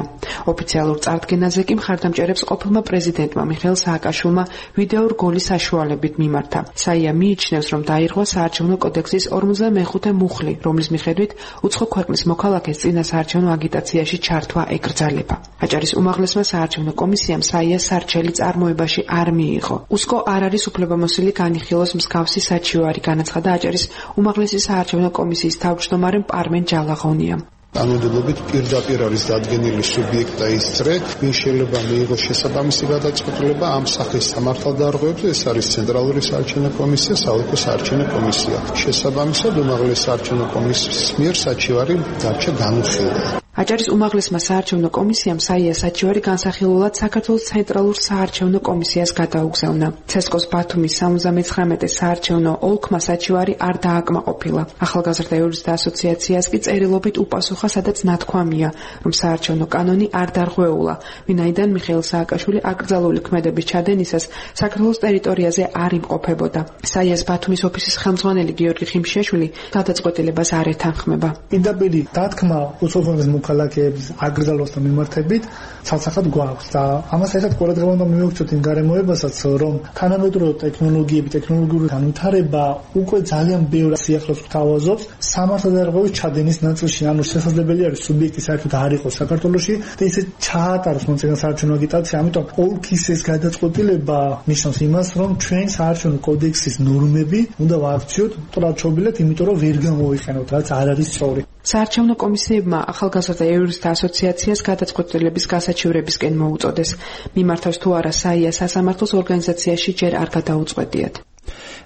ოფიციალურ წარდგენაზე კი მხარდამჭერებს ყოფილმა პრეზიდენტმა მიხეილ სააკაშვილმა ვიდეო რგოლის საშუალებით მიმართა. საია მიიჩნევს, რომ დაირღვა საარჩევნო კოდექსის 45 მუხლი, რომლის მიხედვით უცხო ქვეყნის მოქალაქეს წინასაარჩევნო აგიტაციაში ჩართვა ეკრძალება. აჭარის უმაღლესმა საარჩევნო კომისიამ საიას სარჩელი წარმოებაში არ მიიღო. უსკო არ არის უფლებამოსილი განიხილოს მსგავსი საჩივარი, განაცხადა აჭარის უმაღლესი საარჩევნო კომისიის თავმჯდომარე პარმენ ჯალაღონიამ. კანონმდებლობით პირდაპირ არის დადგენილი სუბიექტა ის წრე, ვინ შეიძლება მიიღოს შესაბამისი გადაწყვეტილება ამ სახის სამართალდარღვევებზე, ეს არის ცენტრალური საარჩევნო კომისია, საოლქო საარჩევნო კომისია. შესაბამისად უმაღლეს საარჩევნო კომისიის მიერ საჩივარი დარჩა განუხილავი. აჭარის უმაღლესმა საარჩევნო კომისიამ საიას საჩივარი განსახილულად საქართველოს ცენტრალურ საარჩევნო კომისიას გადაუგზავნა. ცესკოს ბათუმის 79 საარჩევნო ოლქმა საჩივარი არ დააკმაყოფილა. ახალგაზრდა იურისტთა ასოციაციას კი წერილობით უპასუხა, სადაც ნათქვამია, რომ საარჩევნო კანონი არ დარღვეულა, ვინაიდან მიხეილ სააკაშვილი აკრძალული ქმედების ჩადენისას საქართველოს ტერიტორიაზე არ იმყოფებოდა. საიას ბათუმის ოფისის ხელმძღვანელი გიორგი ხიმშიაშვილი გადაწყვეტილებას არ ეთანხმება. პირდაპირ დათქმა უცხო ქვეყნის მოქალაქეების აკრძალვასთან მიმართებით ცალსახად გვაქვს და ამას ერთად ყურადღება უნდა მივაქცევთ იმ გარემოებასაც, რომ თანამედროვე ტექნოლოგიები, ტექნოლოგიური განვითარება უკვე ძალიან ბევრ სიახლოვეს გვთავაზობს სამართალდარღვევის ჩადენის ნაწილში, ანუ შესაძლებელი არის სუბიექტი საერთოდ არ იყოს საქართველოში და ისე ჩაატაროს მან წინასაარჩევნო აგიტაცია. ამიტომ ოლქის ეს გადაწყვეტილება ნიშნავს იმას, რომ ჩვენ საარჩევნო კოდექსის ნორმები უნდა ვაქციოთ ტრაჩობილად, იმიტომ რომ ვერ გამოვიყენოთ, რაც არ არის სწორი. საარჩევნო კომისიებმა ახალგაზრდა იურისტთა ასოციაციას გადაწყვეტილების გასაჩივრებისკენ მოუწოდეს. მიმართავს თუ არა საია სასამართლოს ორგანიზაციაში ჯერ არ გადაუწყვეტიათ.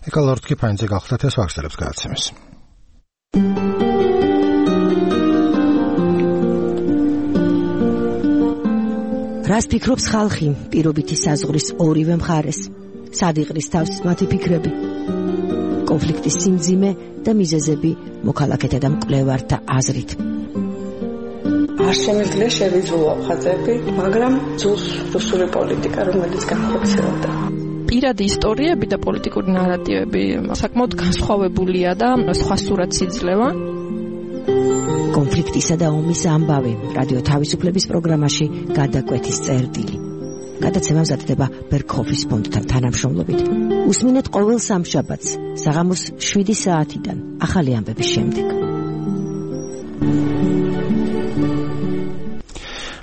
ეკა ლორთქიფანიძე გახლდათ ეს ვახსენებს გადაცემას. რას ფიქრობს ხალხი პირობითი საზღვრის ორივე მხარეს? სად იყრის თავს მათი ფიქრები? კონფლიქტის სიმძიმე და მიზეზები მოქალაქეთა და მკვლევართა აზრით. არ შემიძლია შევიძულო ხაზები, მაგრამ ძულს რუსული პოლიტიკა, რომელიც განხორციელდა. პირადი ისტორიები და პოლიტიკური ნარატივები საკმაოდ განსხვავებულია და სხვა სურათს იძლევა. კონფლიქტისა და ომის ამბავი რადიო თავისუფლების პროგრამაში გადაკვეთის წერტილი. გადაცემა მზადდება ბერქოფის ფონდთან თანამშრომლობით. უსმინეთ ყოველ სამშაბათს საღამოს 7 საათიდან ახალი ამბების შემდეგ.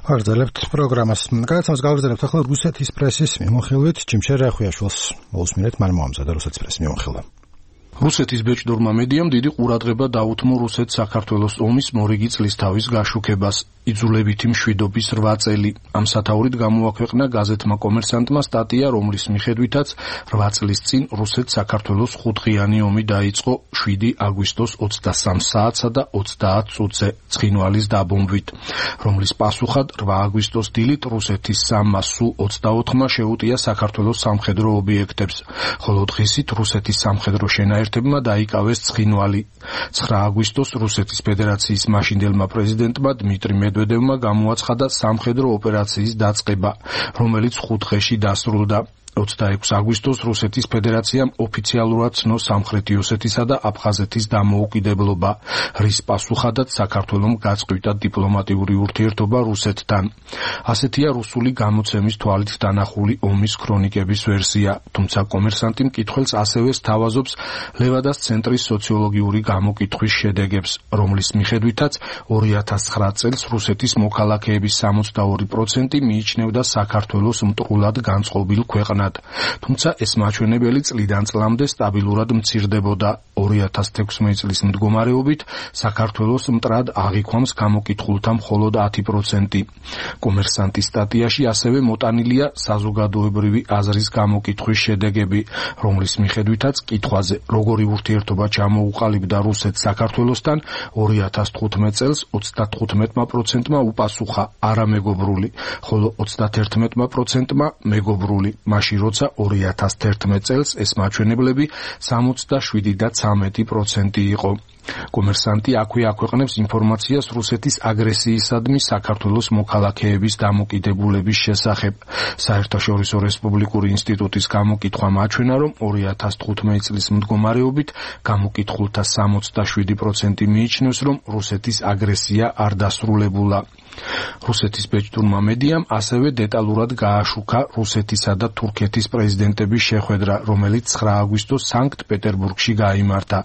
ვაგრძელებთ პროგრამას. გადაცემას გავაგრძელებთ ახლა რუსეთის პრესის მიმოხილვით. ჯიმშერ რეხვიაშვილს მოусმინეთ, მან მოამზადა რუსეთის პრესის მიმოხილვა. რუსეთის ბეჭდურმა მედიამ დიდი ყურადღება დაუთმო რუსეთ-საქართველოს ომის მორიგი წლისთავის გაშუქებას. იძულებითი მშვიდობის 8 წელი. ამ სათაურით გამოაქვეყნა გაზეთმა კომერსანტმა სტატია, რომლის მიხედვითაც 8 წლის წინ რუსეთ-საქართველოს 5-დღიანი ომი დაიწყო 7 აგვისტოს 23 საათსა და 30 წუთზე ცხინვალის დაბომბვით, რომლის პასუხად 8 აგვისტოს დილით რუსეთის სამმა Su-24-მა შეუტია საქართველოს სამხედრო ობიექტებს, ხოლო დღისით რუსეთის სამხედრო შენაერთებმა დაიკავეს ცხინვალი. 9 აგვისტოს რუსეთის ფედერაციის მაშინდელმა პრეზიდენტმა დმიტრი მედვედევმა გამოაცხადა სამხედრო ოპერაციის დაწყება, რომელიც 5 დღეში დასრულდა. 26 აგვისტოს რუსეთის ფედერაციამ ოფიციალურად ცნო სამხრეთი ოსეთისა და აფხაზეთის დამოუკიდებლობა, რის პასუხადაც საქართველომ გაწყვიტა დიპლომატიური ურთიერთობა რუსეთთან. ასეთია რუსული გამოცემის თვალით დანახული ომის ქრონიკების ვერსია, თუმცა კომერსანტი მკითხველს ასევე სთავაზობს ლევადას ცენტრის სოციოლოგიური გამოკითხვის შედეგებს, რომლის მიხედვითაც 2009 წელს რუსეთის მოქალაქეების 62% მიიჩნევდა საქართველოს მტრულად განწყობილ ქვეყნად. თუმცა ეს მაჩვენებელი წლიდან წლამდე სტაბილურად მცირდებოდა. 2016 წლის მდგომარეობით საქართველოს მტრად აღიქვამს გამოკითხულთა მხოლოდ 10%. კომერსანტის სტატიაში ასევე მოტანილია საზოგადოებრივი აზრის გამოკითხვის შედეგები, რომლის მიხედვითაც კითხვაზე, როგორი ურთიერთობა ჩამოუყალიბდა რუსეთს საქართველოსთან, 2015 წელს 35%-მა უპასუხა არამეგობრული, ხოლო 31%-მა მეგობრული, მაშინ როცა 2011 წელს ეს მაჩვენებლები 67 და 13% იყო. კომერსანტი აქვე აქვეყნებს ინფორმაციას რუსეთის აგრესიისადმი საქართველოს მოქალაქეების დამოკიდებულების შესახებ. საერთაშორისო რესპუბლიკური ინსტიტუტის გამოკითხვა მაჩვენა, რომ 2015 წლის მდგომარეობით გამოკითხულთა 67% მიიჩნევს, რომ რუსეთის აგრესია არ დასრულებულა. რუსეთის ბეჭდურმა მედიამ ასევე დეტალურად გააშუქა რუსეთისა და თურქეთის პრეზიდენტების შეხვედრა, რომელიც 9 აგვისტოს სანქტ-პეტერბურგში გაიმართა.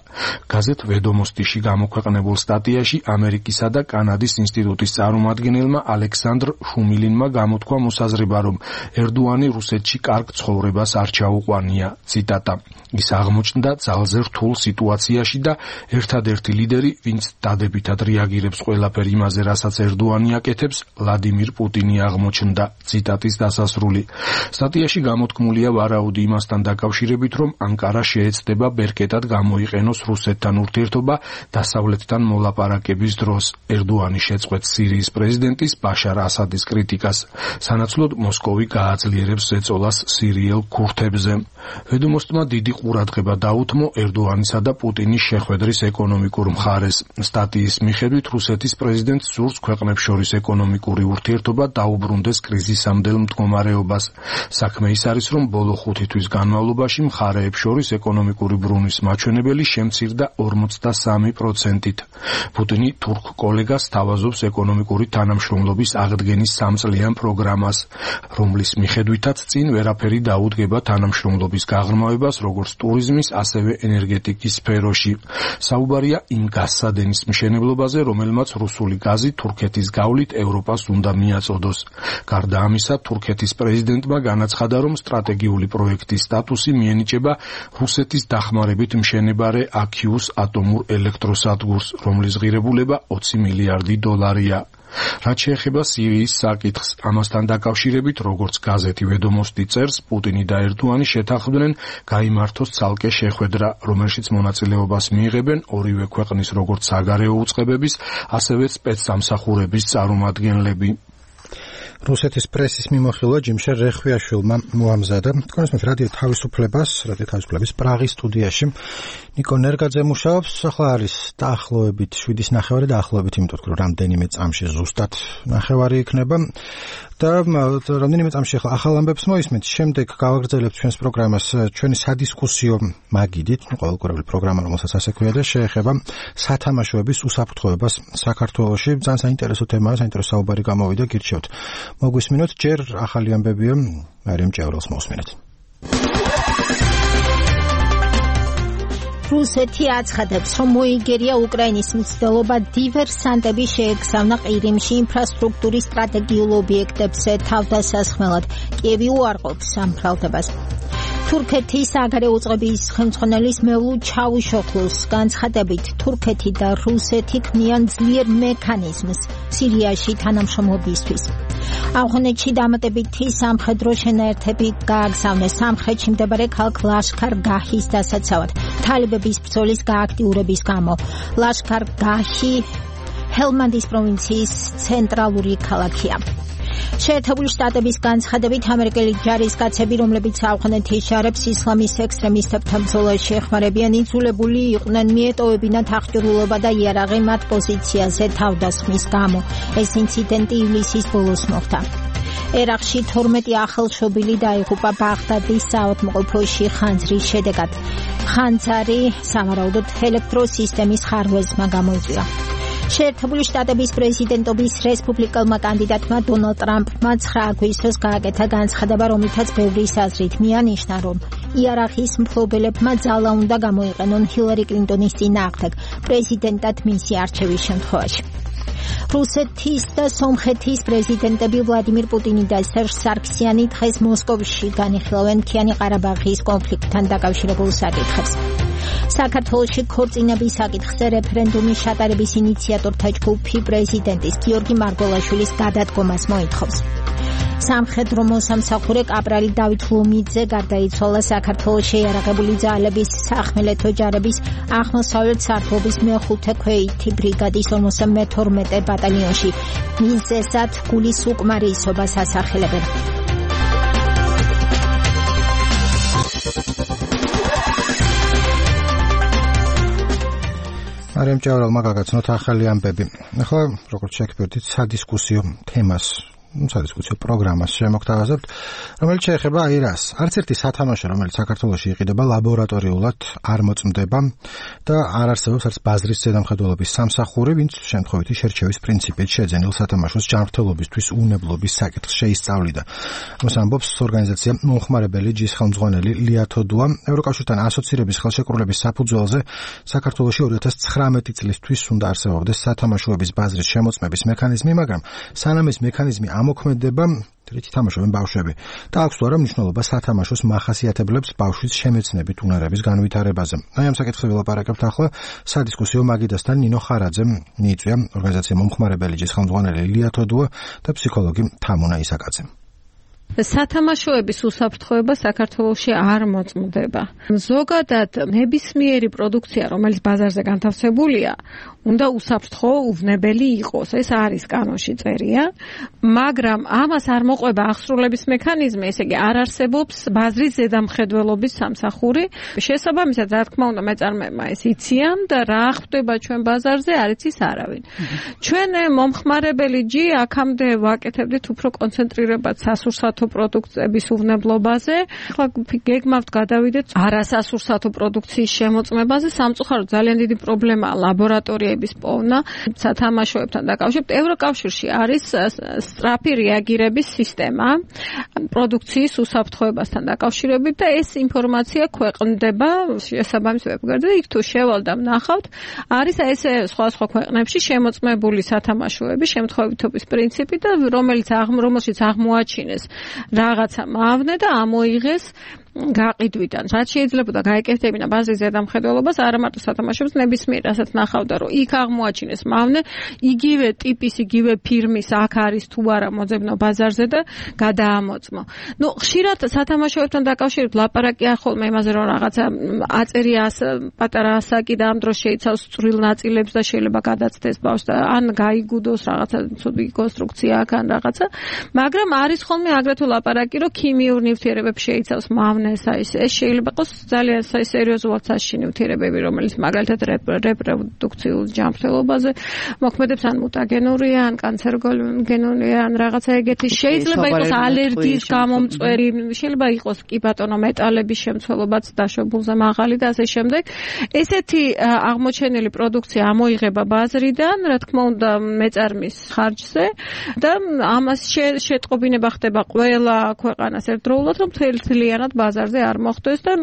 გაზეთ ვედომოსტიში გამოქვეყნებულ სტატიაში ამერიკისა და კანადის ინსტიტუტის წარმომადგენელმა ალექსანდრ შუმილინმა გამოთქვა მოსაზრება, რომ ერდოანი რუსეთში კარგ ცხოვრებას არ ჩაუყვანია. ციტატა: ის აღმოჩნდა ძალზე რთულ სიტუაციაში და ერთადერთი ლიდერი, ვინც დადებითად რეაგირებს ყველაფერ იმაზე, რასაც ერდოანი აკეთებს, ვლადიმირ პუტინი აღმოჩნდა. ციტატის დასასრული. სტატიაში გამოთქმულია ვარაუდი იმასთან დაკავშირებით, რომ ანკარა შეეცდება ბერკეტად გამოიყენოს რუსეთთან ურთიერთობა დასავლეთთან მოლაპარაკების დროს. ერდოანი შეწყვეტს სირიის პრეზიდენტის ბაშარ ასადის კრიტიკას. სანაცვლოდ მოსკოვი გააძლიერებს ზეწოლას სირიელ ქურთებზე. ვედომოსტმა დიდი ყურადღება დაუთმო ერდოანისა და პუტინის შეხვედრის ეკონომიკურ მხარეს. სტატიის მიხედვით რუსეთის პრეზიდენტს სურს ქვეყნებს შორის ეკონომიკური ურთიერთობა დაუბრუნდეს კრიზისამდელ მდგომარეობას. საქმე ის არის, რომ ბოლო 5 თვის განმავლობაში მხარეებს შორის ეკონომიკური ბრუნვის მაჩვენებელი შემცირდა 43%-ით. პუტინი თურქ კოლეგას სთავაზობს ეკონომიკური თანამშრომლობის აღდგენის 3-წლიან პროგრამას, რომლის მიხედვითაც წინ ვერაფერი დაუდგება თანამშრომლობის გაღრმავებას როგორც ტურიზმის, ასევე ენერგეტიკის სფეროში. საუბარია იმ გაზსადენის მშენებლობაზე, რომელმაც რუსული გაზი თურქეთის გავლით ევროპას უნდა მიაწოდოს. გარდა ამისა, თურქეთის პრეზიდენტმა განაცხადა, რომ სტრატეგიული პროექტის სტატუსი მიენიჭება რუსეთის დახმარებით მშენებარე აქიუს ატომურ ელექტროსადგურს, რომლის ღირებულება 20 მილიარდი დოლარია. რაც შეეხება სირიის საკითხს, ამასთან დაკავშირებით, როგორც გაზეთი ვედომოსტი წერს, პუტინი და ერდოანი შეთანხმდნენ გაიმართოს ცალკე შეხვედრა, რომელშიც მონაწილეობას მიიღებენ ორივე ქვეყნის როგორც საგარეო უწყებების, ასევე სპეცსამსახურების წარმომადგენლები. რუსეთის პრესის მიმოხილვა ჯიმშერ რეხვიაშვილმა მოამზადა. თქვენს რადიო თავისუფლების პრაღის სტუდიაში ნიკო ნერგაძე მუშაობს. ახლა არის დაახლოებით 7:09 დაახლოებით, იმიტომ რომ რამდენიმე წამში ზუსტად ნახევარი იქნება. და რამდენიმე წამში ახალ ამბებს მოისმენთ, შემდეგ გავაგრძელებთ ჩვენს პროგრამას ჩვენი სადისკუსიო მაგიდით, ყოველკვირეული პროგრამა, რომელსაც ასე ქვია და შეეხება სათამაშოების უსაფრთხოებას საქართველოში. ძალიან საინტერესო თემაა, საინტერესო საუბარი გამოვიდა, გირჩევთ. მოგვისმინოთ, ჯერ ახალი ამბებია, მარიამ ჭევრელს მოსმინეთ. რუსეთი აცხადებს, რომ მოიგერია უკრაინის მცდელობა დივერსანტები შეეგზავნა ყირიმში ინფრასტრუქტურის სტრატეგიულ ობიექტებზე თავდასასხმელად. კიევი უარყოფს ამ ბრალდებას. თურქეთის საგარეო უწყების ხელმძღვანელის მევლუდ ჩავუშოხლუს განცხადებით, თურქეთი და რუსეთი ქმნიან ძლიერ მექანიზმს სირიაში თანამშრომლობისთვის. ავღანეთში დამატებითი სამხედრო შენაერთები გააგზავნეს სამხრეთში მდებარე ქალაქ ლაშქარ-გაჰის დასაცავად თალიბების ბრძოლის გააქტიურების გამო. ლაშქარ-გაჰი ჰელმანდის პროვინციის ცენტრალური ქალაქია. შეერთებული შტატების განცხადებით, ამერიკელი ჯარისკაცები, რომლებიც ავღანეთის ჯარებს ისლამის ექსტრემისტებთან ბრძოლაში ეხმარებიან, იძულებული იყვნენ მიეტოვებინათ აღჭურვილობა და იარაღი მათ პოზიციაზე თავდასხმის გამო. ეს ინციდენტი ივლისის ბოლოს მოხდა. ერაყში 12 ახალშობილი დაიღუპა ბაღდადის საავადმყოფოში ხანძრის შედეგად. ხანძარი სავარაუდოდ ელექტროსისტემის ხარვეზმა გამოიწვია. შეერთებული შტატების პრეზიდენტობის რესპუბლიკელმა კანდიდატმა დონალდ ტრამპმა 9 აგვისტოს გააკეთა განცხადება, რომლითაც ბევრის აზრით მიანიშნა, რომ იარაღის მფლობელებმა ძალა უნდა გამოიყენონ ჰილარი კლინტონის წინააღმდეგ პრეზიდენტად მისი არჩევის შემთხვევაში. რუსეთის და სომხეთის პრეზიდენტები ვლადიმირ პუტინი და სერჟ სარქსიანი დღეს მოსკოვში განიხილავენ მთიანი ყარაბაღის კონფლიქტთან დაკავშირებულ საკითხებს. საქართველოში ქორწინების საკითხზე რეფერენდუმის ჩატარების ინიციატორთა ჯგუფი პრეზიდენტის გიორგი მარგველაშვილის გადადგომას მოითხოვს. სამხედრო მოსამსახურე კაპრალი დავით ლომიძე გარდაიცვალა საქართველოს შეიარაღებული ძალების სახმელეთო ჯარების აღმოსავლეთ სართულობის მე-5 ქვეითი ბრიგადის 52 ბატალიონში. მიზეზად გულის უკმარისობას ასახელებენ. მარიამ ჭევრელმა გაგაცნოთ ახალი ამბები. ახლა როგორც შეგვიძლია სადისკუსიო თემას, სადისკუსიო პროგრამას შემოგთავაზებთ, რომელიც შეეხება აირას. არც ერთი სათამაშო, რომელიც საქართველოში იყიდება, ლაბორატორიულად არ მოწმდება და არ არსებობს არც ბაზრის ზედამხედველობის სამსახური, ვინც შემთხვევითი შერჩევის პრინციპით შეძენილ სათამაშოს ჯანმრთელობისთვის უნებლობის საკითხს შეისწავლიდა. ამას ამბობს ორგანიზაცია მომხმარებელი ჯის ხელმძღვანელი ლია თოდუა. ევროკავშირთან ასოცირების ხელშეკრულების საფუძველზე საქართველოში 2019 წლისთვის უნდა არსებობდეს სათამაშოების ბაზრის შემოწმების მექანიზმი, მაგრამ სანამ ეს მექანიზმი ამოქმედება, რითი თამაშობენ ბავშვები და აქვს თუ არა მნიშვნელობა სათამაშოს მახასიათებლებს ბავშვის შემეცნებით უნარების განვითარებაზე. აი ამ საკითხზე ვილაპარაკებთ ახლა სადისკუსიო მაგიდასთან. ნინო ხარაძე მიიწვია ორგანიზაცია მომხმარებელი ჯის ხელმძღვანელი ლია თოდუა და ფსიქოლოგი თამუნა ისაკაძე. სათამაშოების უსაფრთხოება საქართველოში არ მოწმდება. ზოგადად ნებისმიერი პროდუქცია, რომელიც ბაზარზე განთავსებულია, უნდა უსაფრთხო, უვნებელი იყოს. ეს არის კანონში წერია, მაგრამ ამას არ მოყვება აღსრულების მექანიზმი, ესე იგი არ არსებობს ბაზრის ზედამხედველობის სამსახური. შესაბამისად, რა თქმა უნდა, მეწარმეებმა ეს იციან და რა ხდება ჩვენ ბაზარზე, არ იცის არავინ. ჩვენ მომხმარებელი ჯი აქამდე ვაკეთებდით უფრო კონცენტრირებად სასურსათო პროდუქციების უვნებლობაზე. ახლა გეგმავთ გადავიდეთ არასასურსათო პროდუქციის შემოწმებაზე. სამწუხაროდ ძალიან დიდი პრობლემაა ლაბორატორიების პოვნა სათამაშოებთან დაკავშირებით. ევროკავშირში არის სწრაფი რეაგირების სისტემა პროდუქციის უსაფრთხოებასთან დაკავშირებით და ეს ინფორმაცია ქვეყნდება შესაბამის ვებგვერდზე. იქ თუ შევალ და ვნახავთ, არის ესე სხვა ქვეყნებში შემოწმებული სათამაშოების შემთხვევითობის პრინციპი და რომელშიც აღმოაჩინეს რაღაცა მავნე და ამოიღეს გაყიდვიდან. რაც შეიძლება და გაეკეთებინა ბაზრის ზედამხედველობას, არა მარტო სათამაშოებს, ნებისმიერ რასაც ნახავდა, რომ იქ აღმოაჩინეს მავნე, იგივე ტიპის, იგივე ფირმის აქ არის თუ არა მოძებნო ბაზარზე და გადაამოწმო. ხშირად სათამაშოებთან დაკავშირებით ლაპარაკია ხოლმე იმაზე, რომ რაღაცა აწერია პატარა ასაკი და ამ დროს შეიცავს წვრილ ნაწილებს და შეიძლება გადაცდეს ბავშვს და ან გაიგუდოს რაღაცა ცუდი კონსტრუქცია აქ ან რაღაცა, მაგრამ არის ხოლმე აგრეთვე ლაპარაკი, რომ ქიმიურ ნივთიერებებს შეიცავს მავნე მავნესა ეს შეიძლება იყოს ძალიან სერიოზულად საშიში ნივთიერებები, რომელიც მაგალითად რეპროდუქციულ ჯანმრთელობაზე მოქმედებს, ან მუტაგენური, ან კანცეროგენური, ან რაღაცა ეგეთი. შეიძლება იყოს ალერგიის გამომწვევი, შეიძლება იყოს კი ბატონო მეტალების შემცველობაც დაშვებულზე მაღალი და ასე შემდეგ. ესეთი აღმოჩენილი პროდუქცია ამოიღება ბაზრიდან, რა თქმა უნდა, მეწარმის ხარჯზე და ამას შეტყობინება ხდება ყველა ქვეყანას ერთდროულად, რომ თლიანად ბაზარზე არ მოხდეს და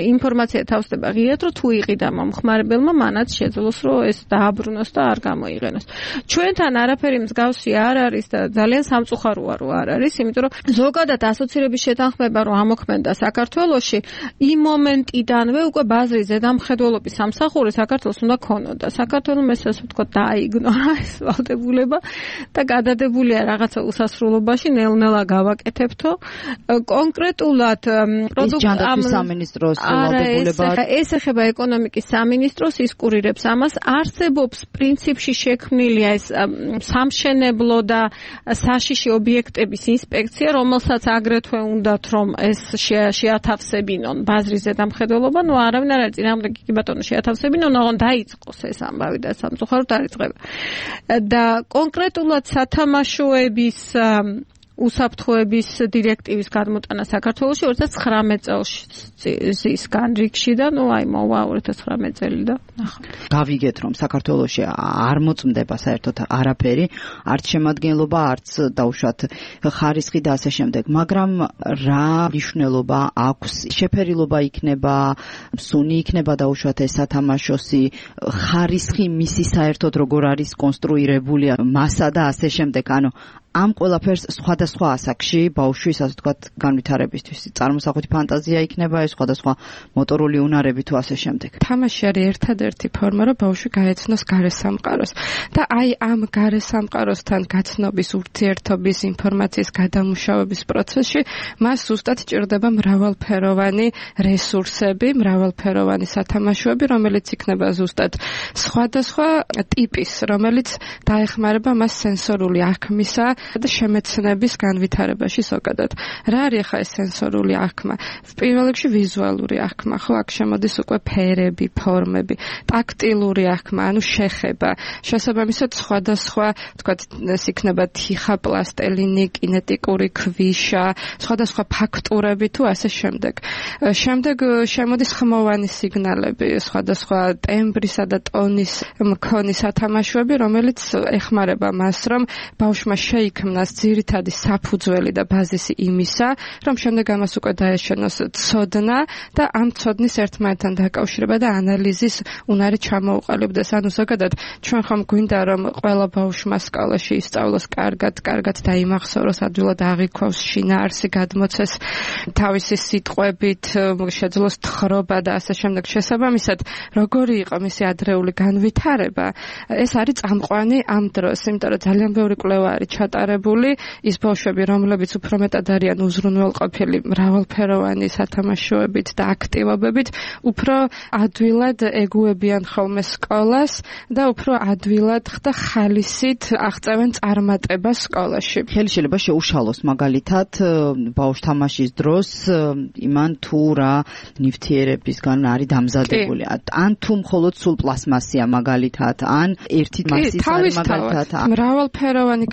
ინფორმაცია თავსდება ღიად, რომ თუ იყიდა მომხმარებელმა, მანაც შეძლოს, რომ ეს დააბრუნოს და არ გამოიყენოს. ჩვენთან არაფერი მსგავსი არ არის და ძალიან სამწუხაროა, რომ არ არის, იმიტომ რომ ზოგადად ასოცირების შეთანხმება რომ ამოქმედა საქართველოში, იმ მომენტიდანვე უკვე ბაზრის ზედამხედველობის სამსახური საქართველოს უნდა ქონოდა. საქართველოს ესე ვთქვათ დააიგნორა ეს ვალდებულება და გადადებულია რაღაცა უსასრულობაში, ნელ-ნელა გავაკეთებთო. კონკრეტულად ჯანდაცვის სამინისტროს ვალდებულება ეს ეხება ეკონომიკის სამინისტროს, ის კურირებს ამას. არსებობს პრინციპში შექმნილია ეს სამშენებლო და საშიში ობიექტების ინსპექცია, რომელსაც აგრეთვე უნდათ რომ ეს შეათავსებინონ ბაზრის ზედამხედველობა, ნუ არავინ არ არის წინააღმდეგ კი ბატონო შეათავსებინონ, ოღონ დაიწყოს ეს ამბავი და სამწუხაროდ არ იწყება. და კონკრეტულად სათამაშოების უსაფრთხოების დირექტივის გადმოტანა საქართველოში 2019 წელს განრიგში და ნუ აი მოვა 2019 წელი და ნახავთ. გავიგეთ რომ საქართველოში არ მოწმდება საერთოდ არაფერი, არც შემადგენლობა, არც დაუშვათ ხარისხი და ასე შემდეგ, მაგრამ რა მნიშვნელობა აქვს, შეფერილობა იქნება, სუნი იქნება დაუშვათ ეს სათამაშოსი, ხარისხი მისი საერთოდ როგორ არის კონსტრუირებული მასა და ასე შემდეგ, ანუ ამ ყველაფერს სხვადასხვა ასაკში ბავშვის ასე ვთქვათ განვითარებისთვის წარმოსახვით ფანტაზია იქნება, ეს სხვადასხვა მოტორული უნარები თუ ასე შემდეგ. თამაში არის ერთადერთი ფორმა, რომ ბავშვი გაეცნოს გარესამყაროს და აი ამ გარესამყაროსთან გაცნობის, ურთიერთობის, ინფორმაციის გადამუშავების პროცესში მას ზუსტად ჭირდება მრავალფეროვანი რესურსები, მრავალფეროვანი სათამაშოები, რომელიც იქნება ზუსტად სხვადასხვა ტიპის, რომელიც დაეხმარება მას სენსორული აღქმისა და შემეცნების განვითარებაში ზოგადად. რა არის ახლა ეს სენსორული აღქმა? პირველ რიგში ვიზუალური აღქმა, ხო, აქ შემოდის უკვე ფერები, ფორმები, ტაქტილური აღქმა, ანუ შეხება. შესაბამისად სხვადასხვა, თქვათ, ეს იქნება თიხა, პლასტელინი, კინეტიკური ქვიშა, სხვადასხვა ფაქტურები თუ ასე შემდეგ. შემდეგ შემოდის ხმოვანი სიგნალები, სხვადასხვა ტემბრისა და ტონის მქონი სათამაშოები, რომელიც ეხმარება მას, რომ ბავშვმა შეიქმნას ძირითადი საფუძველი და ბაზისი იმისა, რომ შემდეგ ამას უკვე დაეშენოს ცოდნა და ამ ცოდნის ერთმანეთთან დაკავშირება და ანალიზის უნარი ჩამოუყალიბდეს. ანუ ზოგადად ჩვენ ხომ გვინდა რომ ყველა ბავშვმა სკოლაში ისწავლოს კარგად დაიმახსოვროს, ადვილად აღიქვას შინაარსი, გადმოცეს თავისი სიტყვებით, შეძლოს თხრობა და ასე შემდეგ. შესაბამისად, როგორი იყო მისი ადრეული განვითარება, ეს არის წამყვანი ამ დროს, იმიტომ რომ ძალიან ბევრი კვლევა არის ჩატარებული, ის ბავშვები, რომლებიც უფრო მეტად არიან უზრუნველყოფილი მრავალფეროვანი სათამაშოებით და აქტივობებით, უფრო ადვილად ეგუებიან ხოლმე სკოლას და უფრო ადვილად ხდა ხალისით აღწევენ წარმატებას სკოლაში. ხელი შეიძლება შეუშალოს მაგალითად ბავშვ თამაშის დროს იმან თუ რა ნივთიერებისგან არის დამზადებული, ან თუ მხოლოდ სულ პლასმასია მაგალითად, ან ერთი მასის არის მაგალითად. მრავალფეროვანი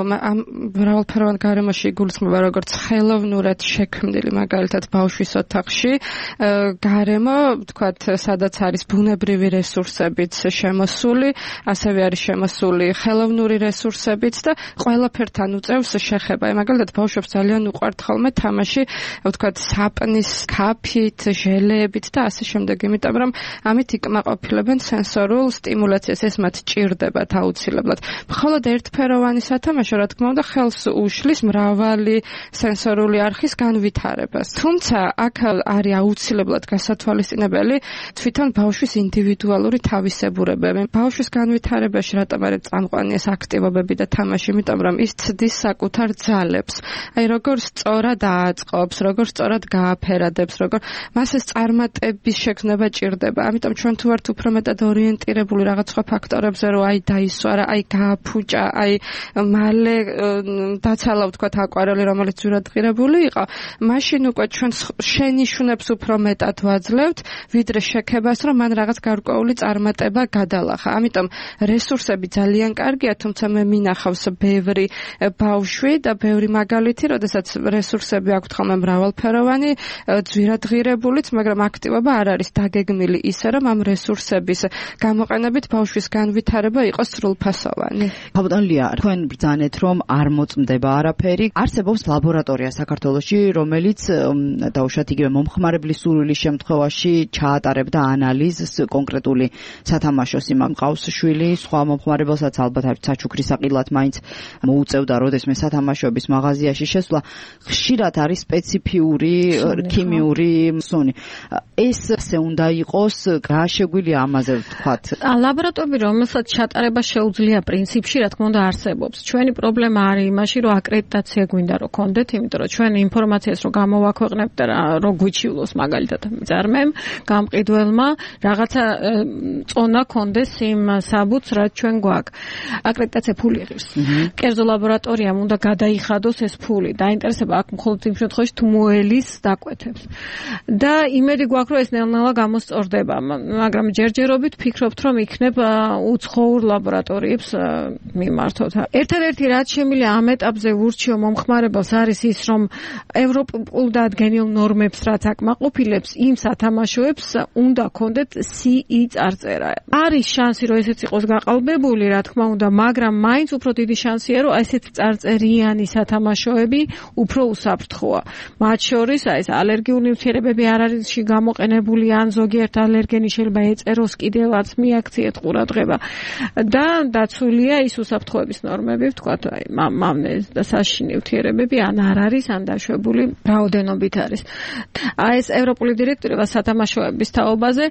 მრავალფეროვან გარემოში იგულისხმება როგორც ხელოვნურად შექმნილი მაგალითად ბავშვის ოთახში გარემო, თქვათ, სადაც არის ბუნებრივი რესურსებიც შემოსული, ასევე არის შემოსული ხელოვნური რესურსებიც და ყველაფერთან უწევს შეხება. მაგალითად ბავშვებს ძალიან უყვართ ხოლმე თამაში, ვთქვათ, საპნის ქაფით, ჟელეებით და ასე შემდეგ, იმიტომ რომ ამით იკმაყოფილებენ სენსორულ სტიმულაციას, ეს მათ ჭირდებათ აუცილებლად. მხოლოდ ერთფეროვანი სათამაშო, რა თქმა უნდა, ხელს უშლის მრავალი სენსორული არხის განვითარებას. თუმცა აქ არის აუცილებლად გასათვალისწინებელი თვითონ ბავშვის ინდივიდუალური თავისებურებები. ბავშვის განვითარებაში რატომ არის წამყვანი ეს აქტივობები და თამაში, იმიტომ რომ ის ცდის საკუთარ ძალებს. აი როგორ სწორად ააწყობს, როგორ სწორად გააფერადებს, როგორ მას ეს წარმატების შექმნება ჭირდება. ამიტომ ჩვენ თუ ვართ უფრო მეტად ორიენტირებული რაღაც სხვა ფაქტორებზე, რომ აი დაისვარა, აი გააფუჭა, აი მალე დაცალა ვთქვათ აკვარელი, რომელიც ძვირადღირებული იყო, მაშინ უკვე ჩვენ შენიშვნებს უფრო მეტად ვაძლევთ, ვიდრე შექებას, რომ მან რაღაც გარკვეული წარმატება გადალახა. ამიტომ რესურსები ძალიან კარგია, თუმცა მე მინახავს ბევრი ბავშვი და ბევრი მაგალითი, როდესაც რესურსები აქვთ ხოლმე მრავალფეროვანი, ძვირადღირებულიც, მაგრამ აქტივობა არ არის დაგეგმილი ისე, რომ ამ რესურსების გამოყენებით ბავშვის განვითარება იყოს სრულფასოვანი. ბატონლია, თქვენ ბრძანეთ, რომ არ მოწმდება არაფერი. არსებობს ლაბორატორია საქართველოში, რომელიც დაუშვათ იგივე მომხმარებლის სურვილის შემთხვევაში ჩაატარებდა ანალიზს კონკრეტული სათამაშოს იმამ ყავს შვილი, სხვა მომხმარებელსაც ალბათ არ საჩუქრის საყიდლად მაინც მოუწევდა როდესმე სათამაშოების მაღაზიაში შესვლა. ხშირად არის სპეციფიური ქიმიური სუნი. ეს უნდა იყოს რა შეგვიძლია ამაზე ვთქვათ? ლაბორატორია, რომელსაც ჩატარება შეუძლია პრინციპში, რა თქმა უნდა არსებობს. ჩვენი პრობლემა არის იმაში, რომ აკრედიტაცია გვინდა რომ გქონდეთ, იმიტომ რომ ჩვენ ინფორმაციას რომ გამოვაქვეყნებთ და რომ გვიჩივლოს მაგალითად მწარმემ, გამყიდველმა რაღაცა წონა გქონდეს იმ საბუთს, რაც ჩვენ გვაქვს. აკრედიტაცია ფული იღებს. კერძო ლაბორატორიამ უნდა გადაიხადოს ეს ფული. დაინტერესება აქ მხოლოდ იმ შემთხვევაში თუ მოელის დაკვეთებს. და იმედი გვაქვს, რომ ეს ნელ-ნელა გამოსწორდება, მაგრამ ჯერჯერობით ფიქრობთ, რომ იქნებ უცხოურ ლაბორატორიებს მიმართოთ. ერთადერთი რაც შემიძლია ამ ეტაპზე ურჩიო მომხმარებელს არის ის, რომ ევროპულ დადგენილ ნორმებს რაც აკმაყოფილებს, იმ სათამაშოებს უნდა ქონდეთ CE წარწერა. არის შანსი, რომ ესეც იყოს გაყალბებული, რა თქმა უნდა, მაგრამ მაინც უფრო დიდი შანსია, რომ ესეთი წარწერიანი სათამაშოები უფრო უსაფრთხოა. მათ შორის ეს ალერგიული ნივთიერებები არ არის გამოყენებული, ან ზოგიერთ ალერგენი შეიძლება ეწეროს კიდევაც მიაქციეთ ყურადღება და დაცულია ის უსაფრთხოების ნორმები, ვთქვათ, აი მამნეს და საშიში ნივთიერებები ან არ არის, ან დაშვებული რაოდენობით არის. აი ეს ევროპული დირექტივა სათამაშოების თაობაზე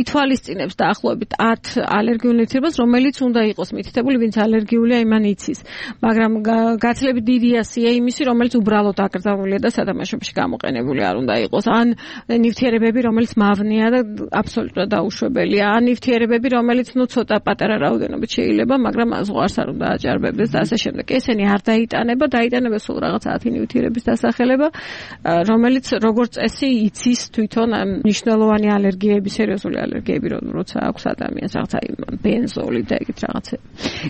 ითვალისწინებს დაახლოებით 10 ალერგიულ ნივთიერებას, რომელიც უნდა იყოს მითითებული, ვინც ალერგიულია, იმან იცის. მაგრამ გაცილებით დიდია სია იმისი, რომელიც უბრალოდ აკრძალულია და სათამაშოებში გამოყენებული არ უნდა იყოს. ან ნივთიერებები, რომელიც მავნეა და აბსოლუტურად დაუშვებელია, ან ნივთიერებები, რომელიც ცოტა პატარა რაოდენობით შეიძლება, მაგრამ ზღვარს არ უნდა აჭარბებდეს და ასე შემდეგ. ესენი არ დაიტანება, დაიტანება სულ რაღაც 10 ნივთიერების დასახელება, რომელიც როგორც წესი იცის თვითონ მნიშვნელოვანი ალერგიები, სერიოზული ალერგიები, როცა აქვს ადამიანს რაღაცა ბენზოლი და ეგეთ რაღაცები.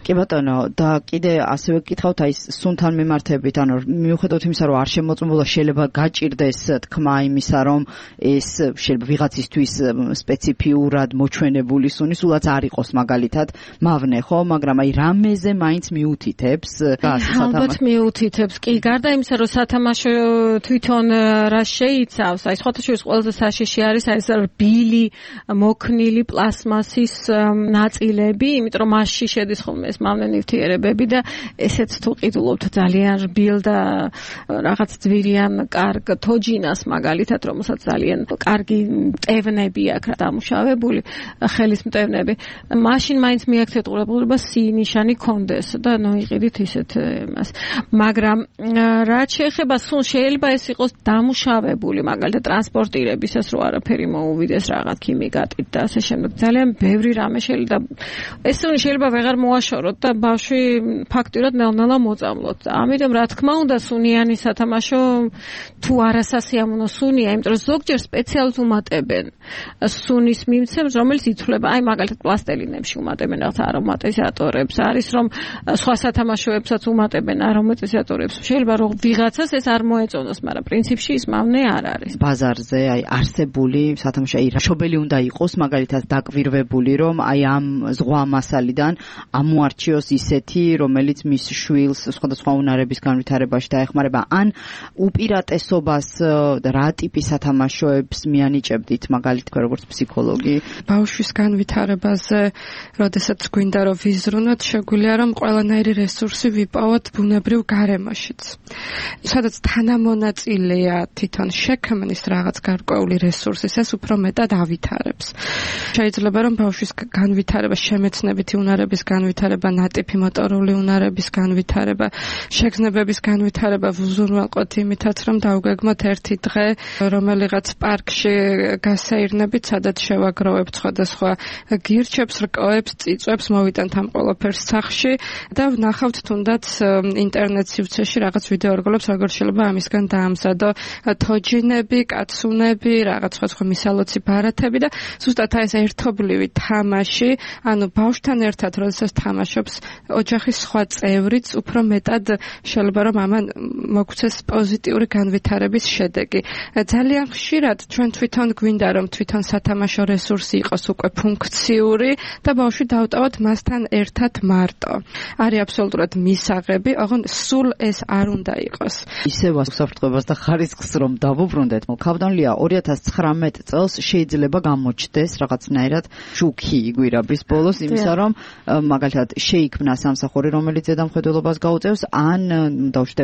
კი ბატონო, და კიდე ასევე გკითხავთ აი სუნთან მიმართებით, ანუ მიუხედავად იმისა, რომ არ შემოწმებულა, შეიძლება გაჭირდეს თქმა იმისა, რომ ეს შეიძლება ვიღაცისთვის სპეციფიურად მოჩვენებული სუნი სულაც არ იყოს მაგალითად მავნე, ხო, მაგრამ აი რამეზე მაინც მიუთითებს ალბათ მიუთითებს. კი, გარდა იმისა, რომ სათამაშო თვითონ რა შეიცავს, აი სხვათა შორის ყველაზე საშიში არის ეს რბილი მოქნილი პლასმასის ნაწილები, იმიტომ რომ მასში შედის ხოლმე ეს მავნე ნივთიერებები და ესეც თუ ყიდულობთ ძალიან რბილ და რაღაც ძვირიან კარგ თოჯინას მაგალითად, რომელსაც ძალიან კარგი მტევნები აქვს დამუშავებული, ხელის მტევნები, მაშინ მაინც მიაქცეთ ყურადღება ნიშანი კონდეს და ნოიყიდით ისეთ მას. მაგრამ რაც შეეხება სულ შეიძლება ეს იყოს დამუშავებული, მაგალითად ტრანსპორტირებისას რო არაფერი მოუვიდეს რაღაც ქიმიკატით და ასე შემდეგ. ძალიან ბევრი რამე შეიძლება ეს შეიძლება ვეღარ მოაშოროთ და ბავშვი ფაქტურად ნელ-ნელა მოწამლოთ. ამიტომ რა თქმა უნდა სუნიანი სათამაშო თუ არასასიამოვნო სუნია, იმიტომ რომ ზოგჯერ სპეციალურად უმატებენ სუნის მიმცემს, რომელიც ითვლება, აი მაგალითად პლასტელინებში უმატებენ რაღაც არომატიზატორებს, არის რომ სხვა სათამაშოებსაც უმატებენ არომატიზატორებს. შეიძლება რომ ვიღაცას ეს არ მოეწონოს, მაგრამ პრინციპში ის მავნე არ არის. ბაზარზე აი არსებული სათამაშო აი შობელი უნდა იყოს მაგალითად დაკვირვებული, რომ აი ამ ზღვა მასალიდან ამოარჩიოს ისეთი, რომელიც მის შვილს სხვადასხვა უნარების განვითარებაში დაეხმარება, ან უპირატესობას რა ტიპის სათამაშოებს მიანიჭებდით მაგალითად როგორც ფსიქოლოგი? ბავშვის განვითარებაზე, როდესაც გვინდა რომ ვიზრუნოთ, შეგვიძლია რომ ყველანაირი რესურსი ვიპოვოთ ბუნებრივ გარემოშიც. სადაც თანამონაწილეა თვითონ შექმნის რაღაც გარკვეული რესურსის, ეს უფრო მეტად ავითარებს. შეიძლება რომ ბავშვის განვითარება, შემეცნებითი უნარების განვითარება, ნატიფი მოტორული უნარების განვითარება, შეგრძნებების განვითარება ვუზრუნველყოთ იმითაც, რომ დავგეგმოთ ერთი დღე, რომელიღაც პარკში გასეირნებით, სადაც შევაგროვებთ სხვადასხვა გირჩებს, რკოებს, წიწვებს, მოვიტანთ ამ ყველაფერს სახლში და და ვნახავთ თუნდაც ინტერნეტ სივრცეში რაღაც ვიდეო რგოლებს როგორ შეიძლება ამისგან დაამზადო თოჯინები, კაცუნები, რაღაც სხვა მისალოცი ბარათები და ზუსტად ეს ერთობლივი თამაში, ანუ ბავშვთან ერთად როდესაც თამაშობს ოჯახის სხვა წევრიც უფრო მეტად შეიძლება რომ ამან მოგვცეს პოზიტიური განვითარების შედეგი. ძალიან ხშირად ჩვენ თვითონ გვინდა რომ თვითონ სათამაშო რესურსი იყოს უკვე ფუნქციური და ბავშვი დავტოვოთ მასთან ერთად მარტო. არის აბსოლუტურად მისაღები, ოღონ სულ ეს არ უნდა იყოს. ისევ უსაფრთხოებას და ხარისხს რომ დავუბრუნდეთ, მოკავდანლია 2019 წელს შეიძლება გამოჩნდეს რაღაცნაირად შუქი იგვირაბის ბოლოს იმისა, რომ მაგალითად შეიქმნა სამსახური, რომელიც ზედამხედველობას გაუწევს, ან დავშვით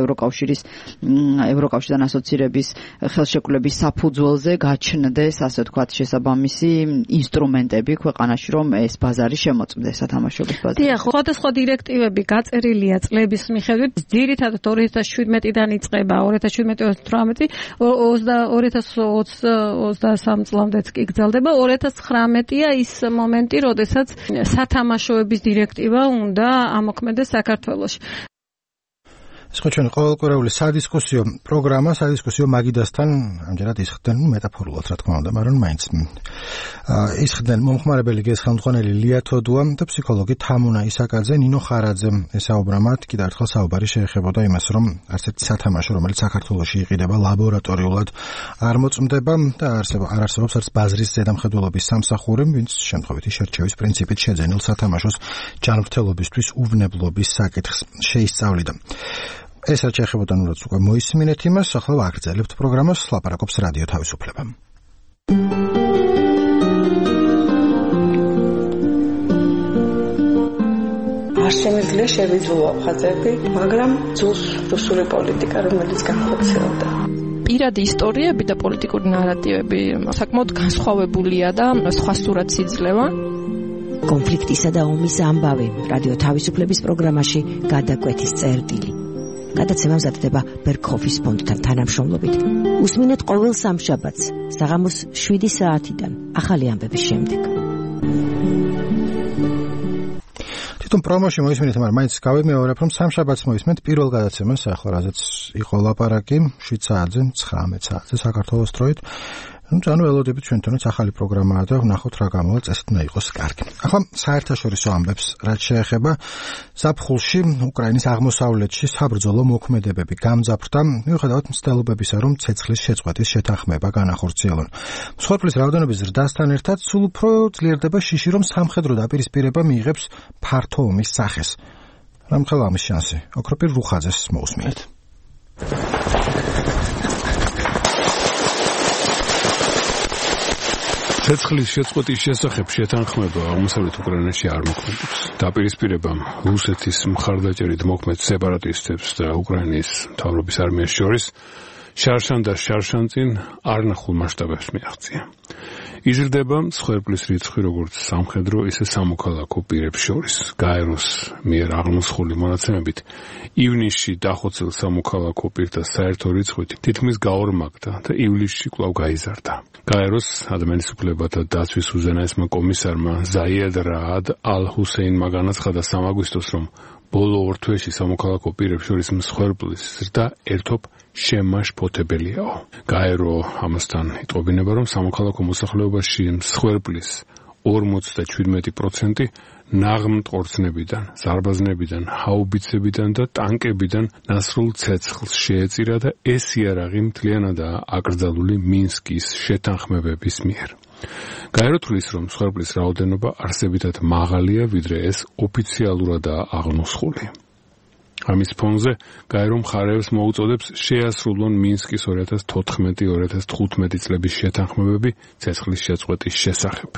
ევროკავშირთან ასოცირების ხელშეკრულების საფუძველზე გაჩნდეს, ასე ვთქვათ, შესაბამისი ინსტრუმენტები ქვეყანაში, რომ ეს ბაზარი შემოწმდეს სათამაშოების ბაზარი. დიახ, სხვადასხვა დირექტივები გაწერილია წლების მიხედვით, ძირითადად 2017-დან იწყება, 2017-2018, 2023 წლამდეც კი გრძელდება. 2019-ია ის მომენტი, როდესაც სათამაშოების დირექტივა უნდა ამოქმედდეს საქართველოში. ეს ხო ჩვენ ყოველკვირეული სადისკუსიო პროგრამა, სადისკუსიო მაგიდასთან ამჯერად ისხდნენ მეტაფორულად, რა თქმა უნდა, მაგრამ მაინც ისხდნენ მომხმარებელი გეს ხელმძღვანელი ლია თოდუა და ფსიქოლოგი თამუნა ისაკაძე, ნინო ხარაძე. ესაუბრა მათ, კიდევ ერთხელ საუბარი შეეხებოდა იმას, რომ არც ერთი სათამაშო, რომელიც საქართველოში იყიდება, ლაბორატორიულად არ მოწმდება და არ არსებობს არც ბაზრის ზედამხედველობის სამსახური, ვინც შემთხვევითი შერჩევის პრინციპით შეძენილ სათამაშოს ჯანმრთელობისთვის უვნებლობის საკითხს შეისწავლიდა. ეს რაც შეეხებოდა ნუ რაც უკვე მოისმინეთ იმას, ახლა ვაგრძელებთ პროგრამას, ლაპარაკობს რადიო თავისუფლება. არ შემიძლია შევიძულო აფხაზები, მაგრამ ძულს რუსული პოლიტიკა, რომელიც განხორციელდა. პირადი ისტორიები და პოლიტიკური ნარატივები საკმაოდ განსხვავებულია და სხვა სურათს იძლევა. კონფლიქტისა და ომის ამბავი რადიო თავისუფლების პროგრამაში გადაკვეთის წერტილი. გადაცემა მზადდება ბერქოფის ფონდთან თანამშრომლობით. უსმინეთ ყოველ სამშაბათს საღამოს 7 საათიდან ახალი ამბების შემდეგ. თვითონ პრომოში მოისმინეთ, მაგრამ მაინც გავიმეორებ, რომ სამშაბათს მოისმენთ პირველ გადაცემას, ახლა რაზეც იყო ლაპარაკი 7 საათზე, 19 საათზე საქართველოს დროით. ანუ ველოდებით ჩვენთანაც ახალი პროგრამაა და ვნახოთ რა გამოვა, წესით უნდა იყოს კარგი. ახლა საერთაშორისო ამბებს რაც შეეხება, ზაფხულში უკრაინის აღმოსავლეთში საბრძოლო მოქმედებები გამძაფრდა, მიუხედავად მცდელობებისა, რომ ცეცხლის შეწყვეტის შეთანხმება განახორციელონ. მსხვერპლის რაოდენობის ზრდასთან ერთად სულ უფრო ძლიერდება შიში, რომ სამხედრო დაპირისპირება მიიღებს ფართო ომის სახეს. რამხელა ამის შანსი? ოქროპირ რუხაძეს მოусმინეთ. ცეცხლის შეწყვეტის შესახებ შეთანხმება აღმოსავლეთ უკრაინაში არ მოქმედებს. დაპირისპირებამ რუსეთის მხარდაჭერით მოქმედ სეპარატისტებს და უკრაინის მთავრობის არმიას შორის შარშან და შარშანწინ არნახულ მასშტაბებს მიაღწია. იზრდება მსხვერპლის რიცხვი როგორც სამხედრო, ისე სამოქალაქო პირებს შორის. გაეროს მიერ აღმოსხული მონაცემებით ივნისში დახოცილ სამოქალაქო პირთა საერთო რიცხვი თითქმის გაორმაგდა და ივლისში კვლავ გაიზარდა. გაეროს ადამიანის უფლებათა დაცვის უზენაესმა კომისარმა ზაიედ რაად ალ-ჰუსეინმა განაცხადა 3 აგვისტოს, რომ ბოლო 2 თვეში სამოქალაქო პირებს შორის მსხვერპლის ზრდა ერთობ შემაშფოთებელიაო. გაერო ამასთან იტყობინება, რომ სამოქალაქო მოსახლეობაში მსხვერპლის 57% ნაღმტყორცნებიდან, ზარბაზნებიდან, ჰაუბიცებიდან და ტანკებიდან ნასრულ ცეცხლს შეეწირა და ეს იარაღი მთლიანადაა აკრძალული მინსკის შეთანხმებების მიერ. გაერო თვლის, რომ მსხვერპლის რაოდენობა არსებითად მაღალია, ვიდრე ეს ოფიციალურადაა აღნუსხული. ამის ფონზე გაერო მხარეებს მოუწოდებს შეასრულონ მინსკის 2014-2015 წლების შეთანხმებები ცეცხლის შეწყვეტის შესახებ.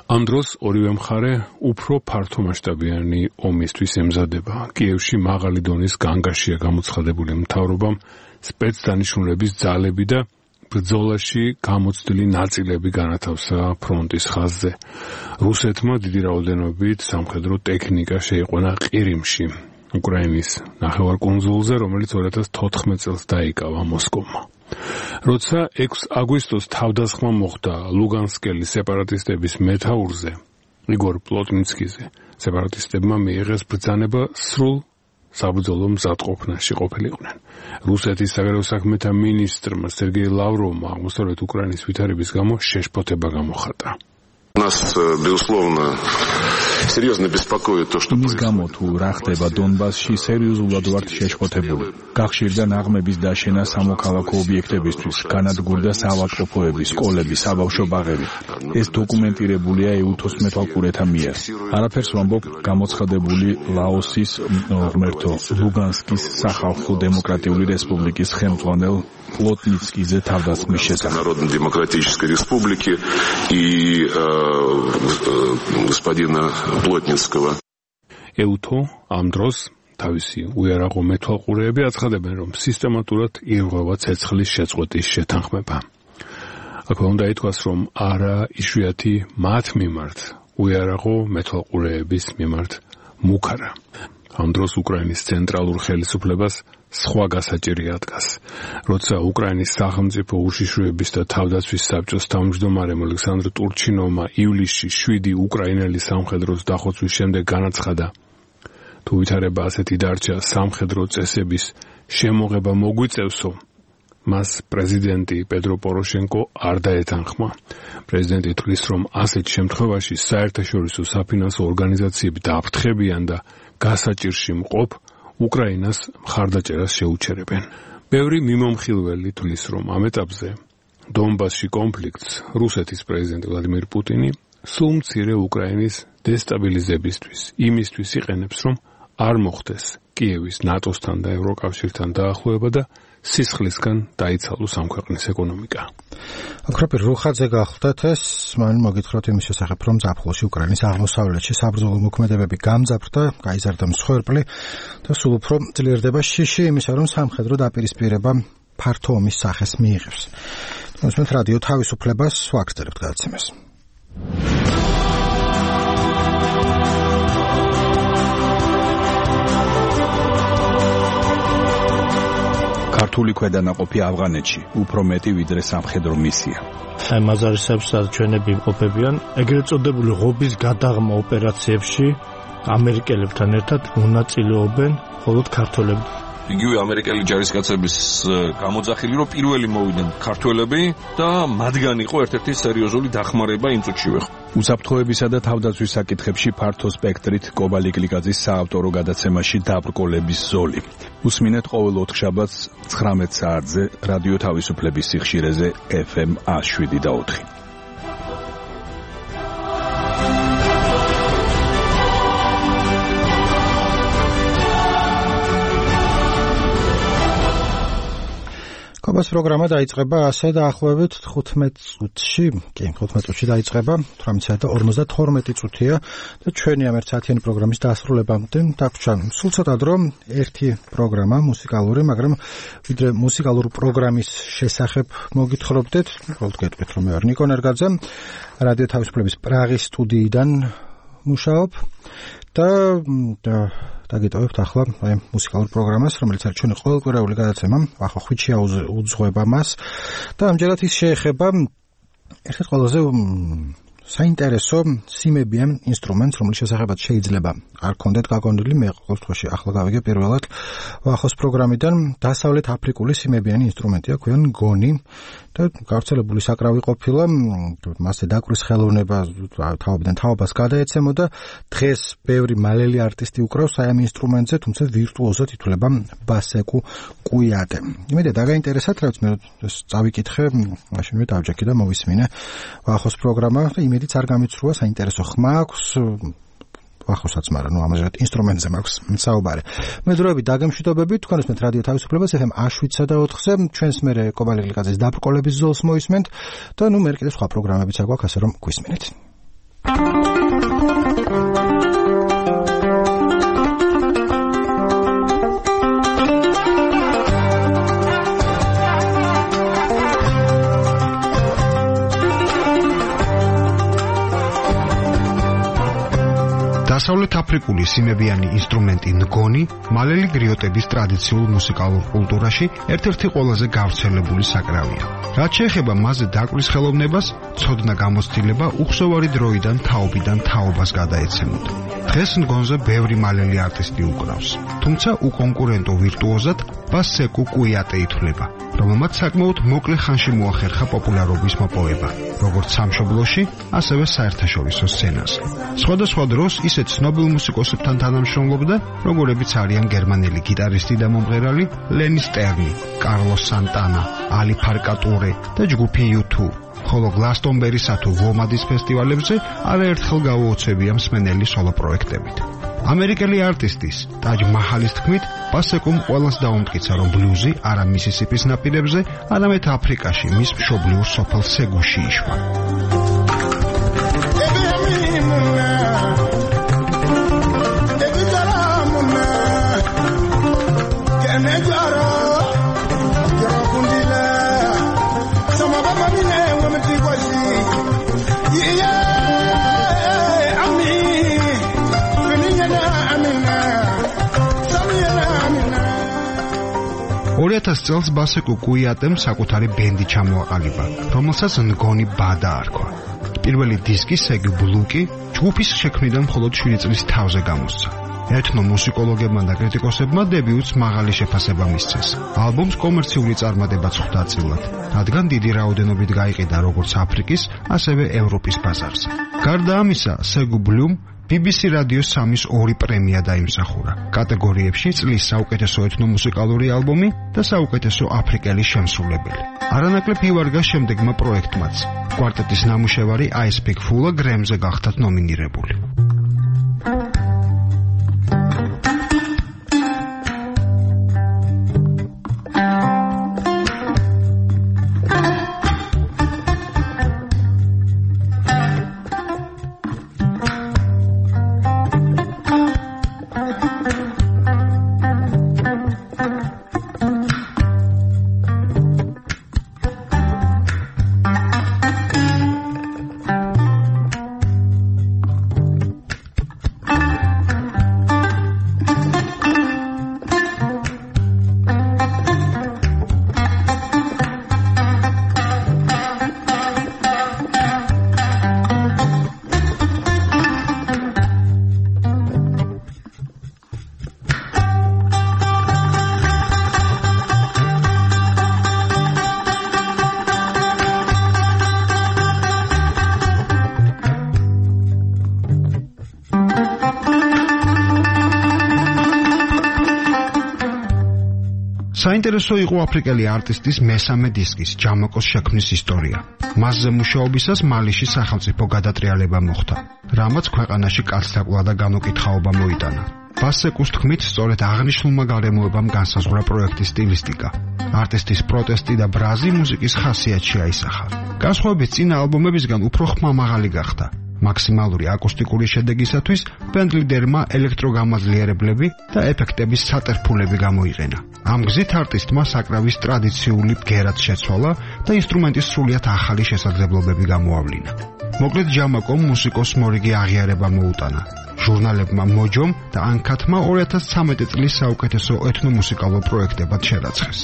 ამ დროს ორივე მხარე უფრო ფართომასშტაბიანი ომისთვის ემზადება. კიევში მაღალი დონის განგაშია გამოცხადებული მთავრობამ სპეცდანიშნულების ძალები და ბრძოლაში გამოცდილი ნაწილები განათავსა ფრონტის ხაზზე. რუსეთმა დიდი რაოდენობით სამხედრო ტექნიკა შეიყვანა ყირიმში, უკრაინის ნახევარკუნძულზე, რომელიც 2014 წელს დაიკავა მოსკოვმა. როცა 6 აგვისტოს თავდასხმა მოხდა ლუგანსკელი სეპარატისტების მეთაურზე, იგორ პლოტნიცკიზე სეპარატისტებმა მიიღეს ბრძანება სრულ საბრძოლო მზადყოფნაში ყოფილიყვნენ. რუსეთის საგარეო საქმეთა მინისტრმა სერგეი ლავროვმა აღმოსავლეთ უკრაინის ვითარების გამო შეშფოთება გამოხატა. Нас, безусловно, серьезно беспокоит то, что მის გამო თუ რა ხდება დონბასში, სერიოზულად ვართ შეშფოთებული. გახშირდა ნაღმების დაშენა სამოქალაქო ობიექტებისთვის, განადგურდა საავადმყოფოები, სკოლები, საბავშვო ბაღები. ეს დოკუმენტირებულია ეუთოს მეთვალყურეთა მიერ. არაფერს ვამბობ გამოცხადებული ლაოსის ღმერთო ლუგანსკის სახალხო დემოკრატიული რესპუბლიკის ხელმძღვანელ პლოტნიცკიზე თავდასხმის შესახებ. Народно-демократической республики и господина Плотницкого. ეუთო ამ დროს თავისი უიარაღო მეთვალყურეები აცხადებენ, რომ სისტემატურად ირღვევა ცეცხლის შეწყვეტის შეთანხმება. აქვე უნდა ითქვას, რომ არა იშვიათი მათ მიმართ უიარაღო მეთვალყურეების მიმართ მუქარა. ამ დროს უკრაინის ცენტრალურ ხელისუფლებას სხვა გასაჭირი ადგას. როცა უკრაინის სახელმწიფო უშიშროების და თავდაცვის საბჭოს თავმჯდომარემ ალექსანდრ ტურჩინოვმა ივლისში 7 უკრაინელი სამხედროს დახოცვის შემდეგ განაცხადა, თუ ვითარება ასეთი დარჩა სამხედრო წესების შემოღება მოგვიწევსო, მას პრეზიდენტი პედრო პოროშენკო არ დაეთანხმა. პრეზიდენტი თვლის, რომ ასეთ შემთხვევაში საერთაშორისო საფინანსო ორგანიზაციები დააფრთხებიან და გასაჭირში მყოფ უკრაინას მხარდაჭერას შეუჩერებენ. ბევრი მიმომხილველი თვლის, რომ ამ ეტაპზე დონბასში კონფლიქტს რუსეთის პრეზიდენტი ვლადიმერ პუტინი სულ მცირე უკრაინის დესტაბილიზებისთვის იმისთვის იყენებს, რომ არ მოხდეს კიევის ნატოსთან და ევროკავშირთან დაახლოება და სისხლისგან დაიცალოს ამ ქვეყნის ეკონომიკა. აკროპი რუხაძე გახლდათ ეს, მან მოგითხრათ იმის შესახებ, რომ ზაფხულში უკრაინის აღმოსავლეთში საბრძოლო მოქმედებები გამძაფრდა, გაიზარდა მსხვერპლი და სულ უფრო ძლიერდება შიში იმისა, რომ სამხედრო დაპირისპირება ფართო ომის სახეს მიიღებს. მოსმენთ რადიო თავისუფლებას ვაგრძელებთ გადაცემას. ქართული ქვედანაყოფი ავღანეთში უფრო მეტი ვიდრე სამხედრო მისია. აი მაზარისებს ჩვენები იმყოფებიან ეგრეთ წოდებული ღობის გადაღმა ოპერაციებში ამერიკელებთან ერთად მონაწილეობენ მხოლოდ ქართველები. იგივე ამერიკელი ჯარისკაცების გამოძახილი, რომ პირველი მოვიდნენ ქართველები და მათგან იყო ერთ-ერთი სერიოზული დახმარება იმ წუთშივე. უსაფრთხოებისა და თავდაცვის საკითხებში ფართო სპექტრით კობალი გლიკაძის საავტორო გადაცემაში დაბრკოლების ზოლი. უსმინეთ ყოველ ოთხშაბათს 19 საათზე რადიო თავისუფლების სიხშირეზე FM 107.4. კობას პროგრამა დაიწყება ასე დაახლოებით 15 წუთში, კი 15 წუთში დაიწყება, 18:52 წუთია და ჩვენი ამ 1 საათიანი პროგრამის დასრულებამდე დაგვრჩა სულ ცოტა დრო ერთი პროგრამა მუსიკალური, მაგრამ ვიდრე მუსიკალურ პროგრამის შესახებ მოგითხრობდეთ, უბრალოდ გეტყვით რომ მე ვარ ნიკო ნერგაძე, რადიო თავისუფლების პრაღის სტუდიიდან მუშაობ და დაგიტოვებთ ახლა აი მუსიკალურ პროგრამას, რომელიც არის ჩვენი ყოველკვირეული გადაცემა, ახლა ხვიჩია უძღვება მას და ამჯერად ის შეეხება ერთ-ერთ ყველაზე საინტერესო სიმებიან ინსტრუმენტს, რომელიც შესახებაც შეიძლება არ გქონდეთ გაგონილი, მე ყოველ შემთხვევაში ახლა გავიგე პირველად ახოს პროგრამიდან დასავლეთ აფრიკული სიმებიანი ინსტრუმენტია, ქვიან გონი და გავრცელებული საკრავი ყოფილა, მასზე დაკვრის ხელოვნება თავიდან თაობას გადაეცემოდა, დღეს ბევრი მალელი არტისტი უკრავს აი ამ ინსტრუმენტზე, თუმცა ვირტუოზად ითვლება ბასეკუ კუიატე. იმედი დაგაინტერესათ, რაც მე წავიკითხე, მაშინვე დავჯექი და მოვისმინე ახოს პროგრამა და იმედიც არ გამიცრუა, საინტერესო ხმა აქვს ახოსაც, მაგრამ ნუ ამაზე ინსტრუმენტზე მაქვს საუბარი. მე დროებით დაგემშვიდობებით, თქვენ უსმენთ რადიო თავისუფლებას FM 107.4-ზე, ჩვენს მერე კობალი გლიკაძის დაბრკოლების ზოლს მოისმენთ და ნუ მე კიდე სხვა პროგრამებიც აგვაქვს, ასე რომ გვისმენთ. დასავლეთ აფრიკული სიმებიანი ინსტრუმენტი ნგონი მალელი გრიოტების ტრადიციულ მუსიკალურ კულტურაში ერთ-ერთი ყველაზე გავრცელებული საკრავია. რაც შეეხება მასზე დაკვრის ხელოვნებას, ცოდნა გამოცდილება უხსოვარი დროიდან თაობიდან თაობას გადაეცემოდა. დღეს მგონზე ბევრი მალელი არტისტი უკრავს, თუმცა უკონკურენტო ვირტუოზად ბასეკუ კუიატე ითვლება, რომელმაც საკმაოდ მოკლე ხანში მოახერხა პოპულარობის მოპოვება, როგორც სამშობლოში, ასევე საერთაშორისო სცენაზე. სხვადასხვა დროს ისეთ ცნობილ მუსიკოსებთან თანამშრომლობდა, როგორებიც არიან გერმანელი გიტარისტი და მომღერალი ლენი სტერნი, კარლოს სანტანა, ალი ფარკატურე და ჯგუფი U2. ხოლო გლასტონბერისა თუ ვომადის ფესტივალებზე არაერთხელ გაუოცებია მსმენელი სოლო პროექტებით. ამერიკელი არტისტის ტაჯ მაჰალის თქმით, ბასეკუმ ყველას დაუმტკიცა, რომ ბლუზი არა მისისიპის ნაპირებზე, არამედ აფრიკაში მის მშობლიურ სოფელ სეგუში იშვა. წელს ბასეკუ კუიატემ საკუთარი ბენდი ჩამოაყალიბა, რომელსაც ნგონი ბა დაარქვა. პირველი დისკი სეგი ბლუკი ჯგუფის შექმნიდან მხოლოდ 7 წლის თავზე გამოსცა. ეთნო მუსიკოლოგებმა და კრიტიკოსებმა დებიუტს მაღალი შეფასება მისცეს. ალბომს კომერციული წარმატებაც ხვდა წილად, რადგან დიდი რაოდენობით გაიყიდა როგორც აფრიკის, ასევე ევროპის ბაზარზე. გარდა ამისა, სეგუ ბლუმ BBC რადიოს 3-2 პრემია დაიმსახურა კატეგორიებში წლის საუკეთესო ეთნომუსიკალური ალბომი და საუკეთესო აფრიკელი შემსრულებელი. არანაკლებ ივარგა შემდეგმა პროექტმაც. კვარტეტის ნამუშევარი I Speak Full გრემზე გახდათ ნომინირებული. საინტერესო იყო აფრიკელი არტისტის მესამე დისკის ჯამაკოს შექმნის ისტორია. მასზე მუშაობისას მალიში სახელმწიფო გადატრიალება მოხდა, რამაც ქვეყანაში კაცთაკლა და განუკითხაობა მოიტანა. ბასეკუს თქმით, სწორედ აღნიშნულმა გარემოებამ განსაზღვრა პროექტის სტილისტიკა. არტისტის პროტესტი და ბრაზი მუსიკის ხასიათში აისახა. განსხვავებით წინა ალბომებისგან უფრო ხმამაღალი გახდა. მაქსიმალური აკუსტიკური შედეგისათვის ბენდ ლიდერმა ელექტროგამაძლიერებლები და ეფექტების სატერფულები გამოიყენა. ამ გზით არტისტმა საკრავის ტრადიციული ბგერად შეცვალა და ინსტრუმენტის სრულიად ახალი შესაძლებლობები გამოავლინა. მოკლედ ჯამაკომ მუსიკოს მორიგი აღიარება მოუტანა. ჟურნალებმა მოჯომ და ანკათმა 2013 წლის საუკეთესო ეთნომუსიკალურ პროექტებად შერაცხეს.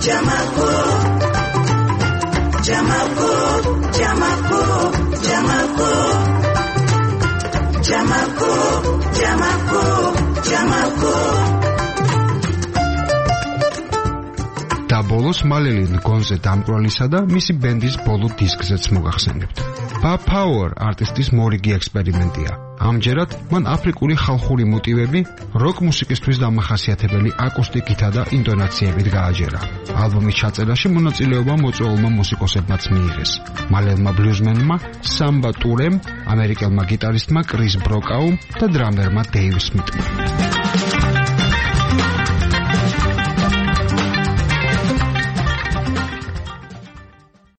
Jamako Jamako, Jamako, Jamako, Jamako, Jamako, Jamako. და ბოლოს მალელი გონზე დამკვრალისა და მისი ბენდის ბოლო დისკზეც მოგახსენებთ. Bob Power არტისტის მორიგი ექსპერიმენტია. ამჯერად მან აფრიკული ხალხური მოტივები როკ მუსიკისთვის დამახასიათებელი აკუსტიკითა და ინტონაციებით გააჯერა. ალბომის ჩაწერაში მონაწილეობა მოწვეულმა მუსიკოსებმაც მიიღეს. მალელმა ბლუზმენმა სამბა ტურემ, ამერიკელმა გიტარისტმა კრის ბროკაუმ და დრამერმა დეივ სმიტმა.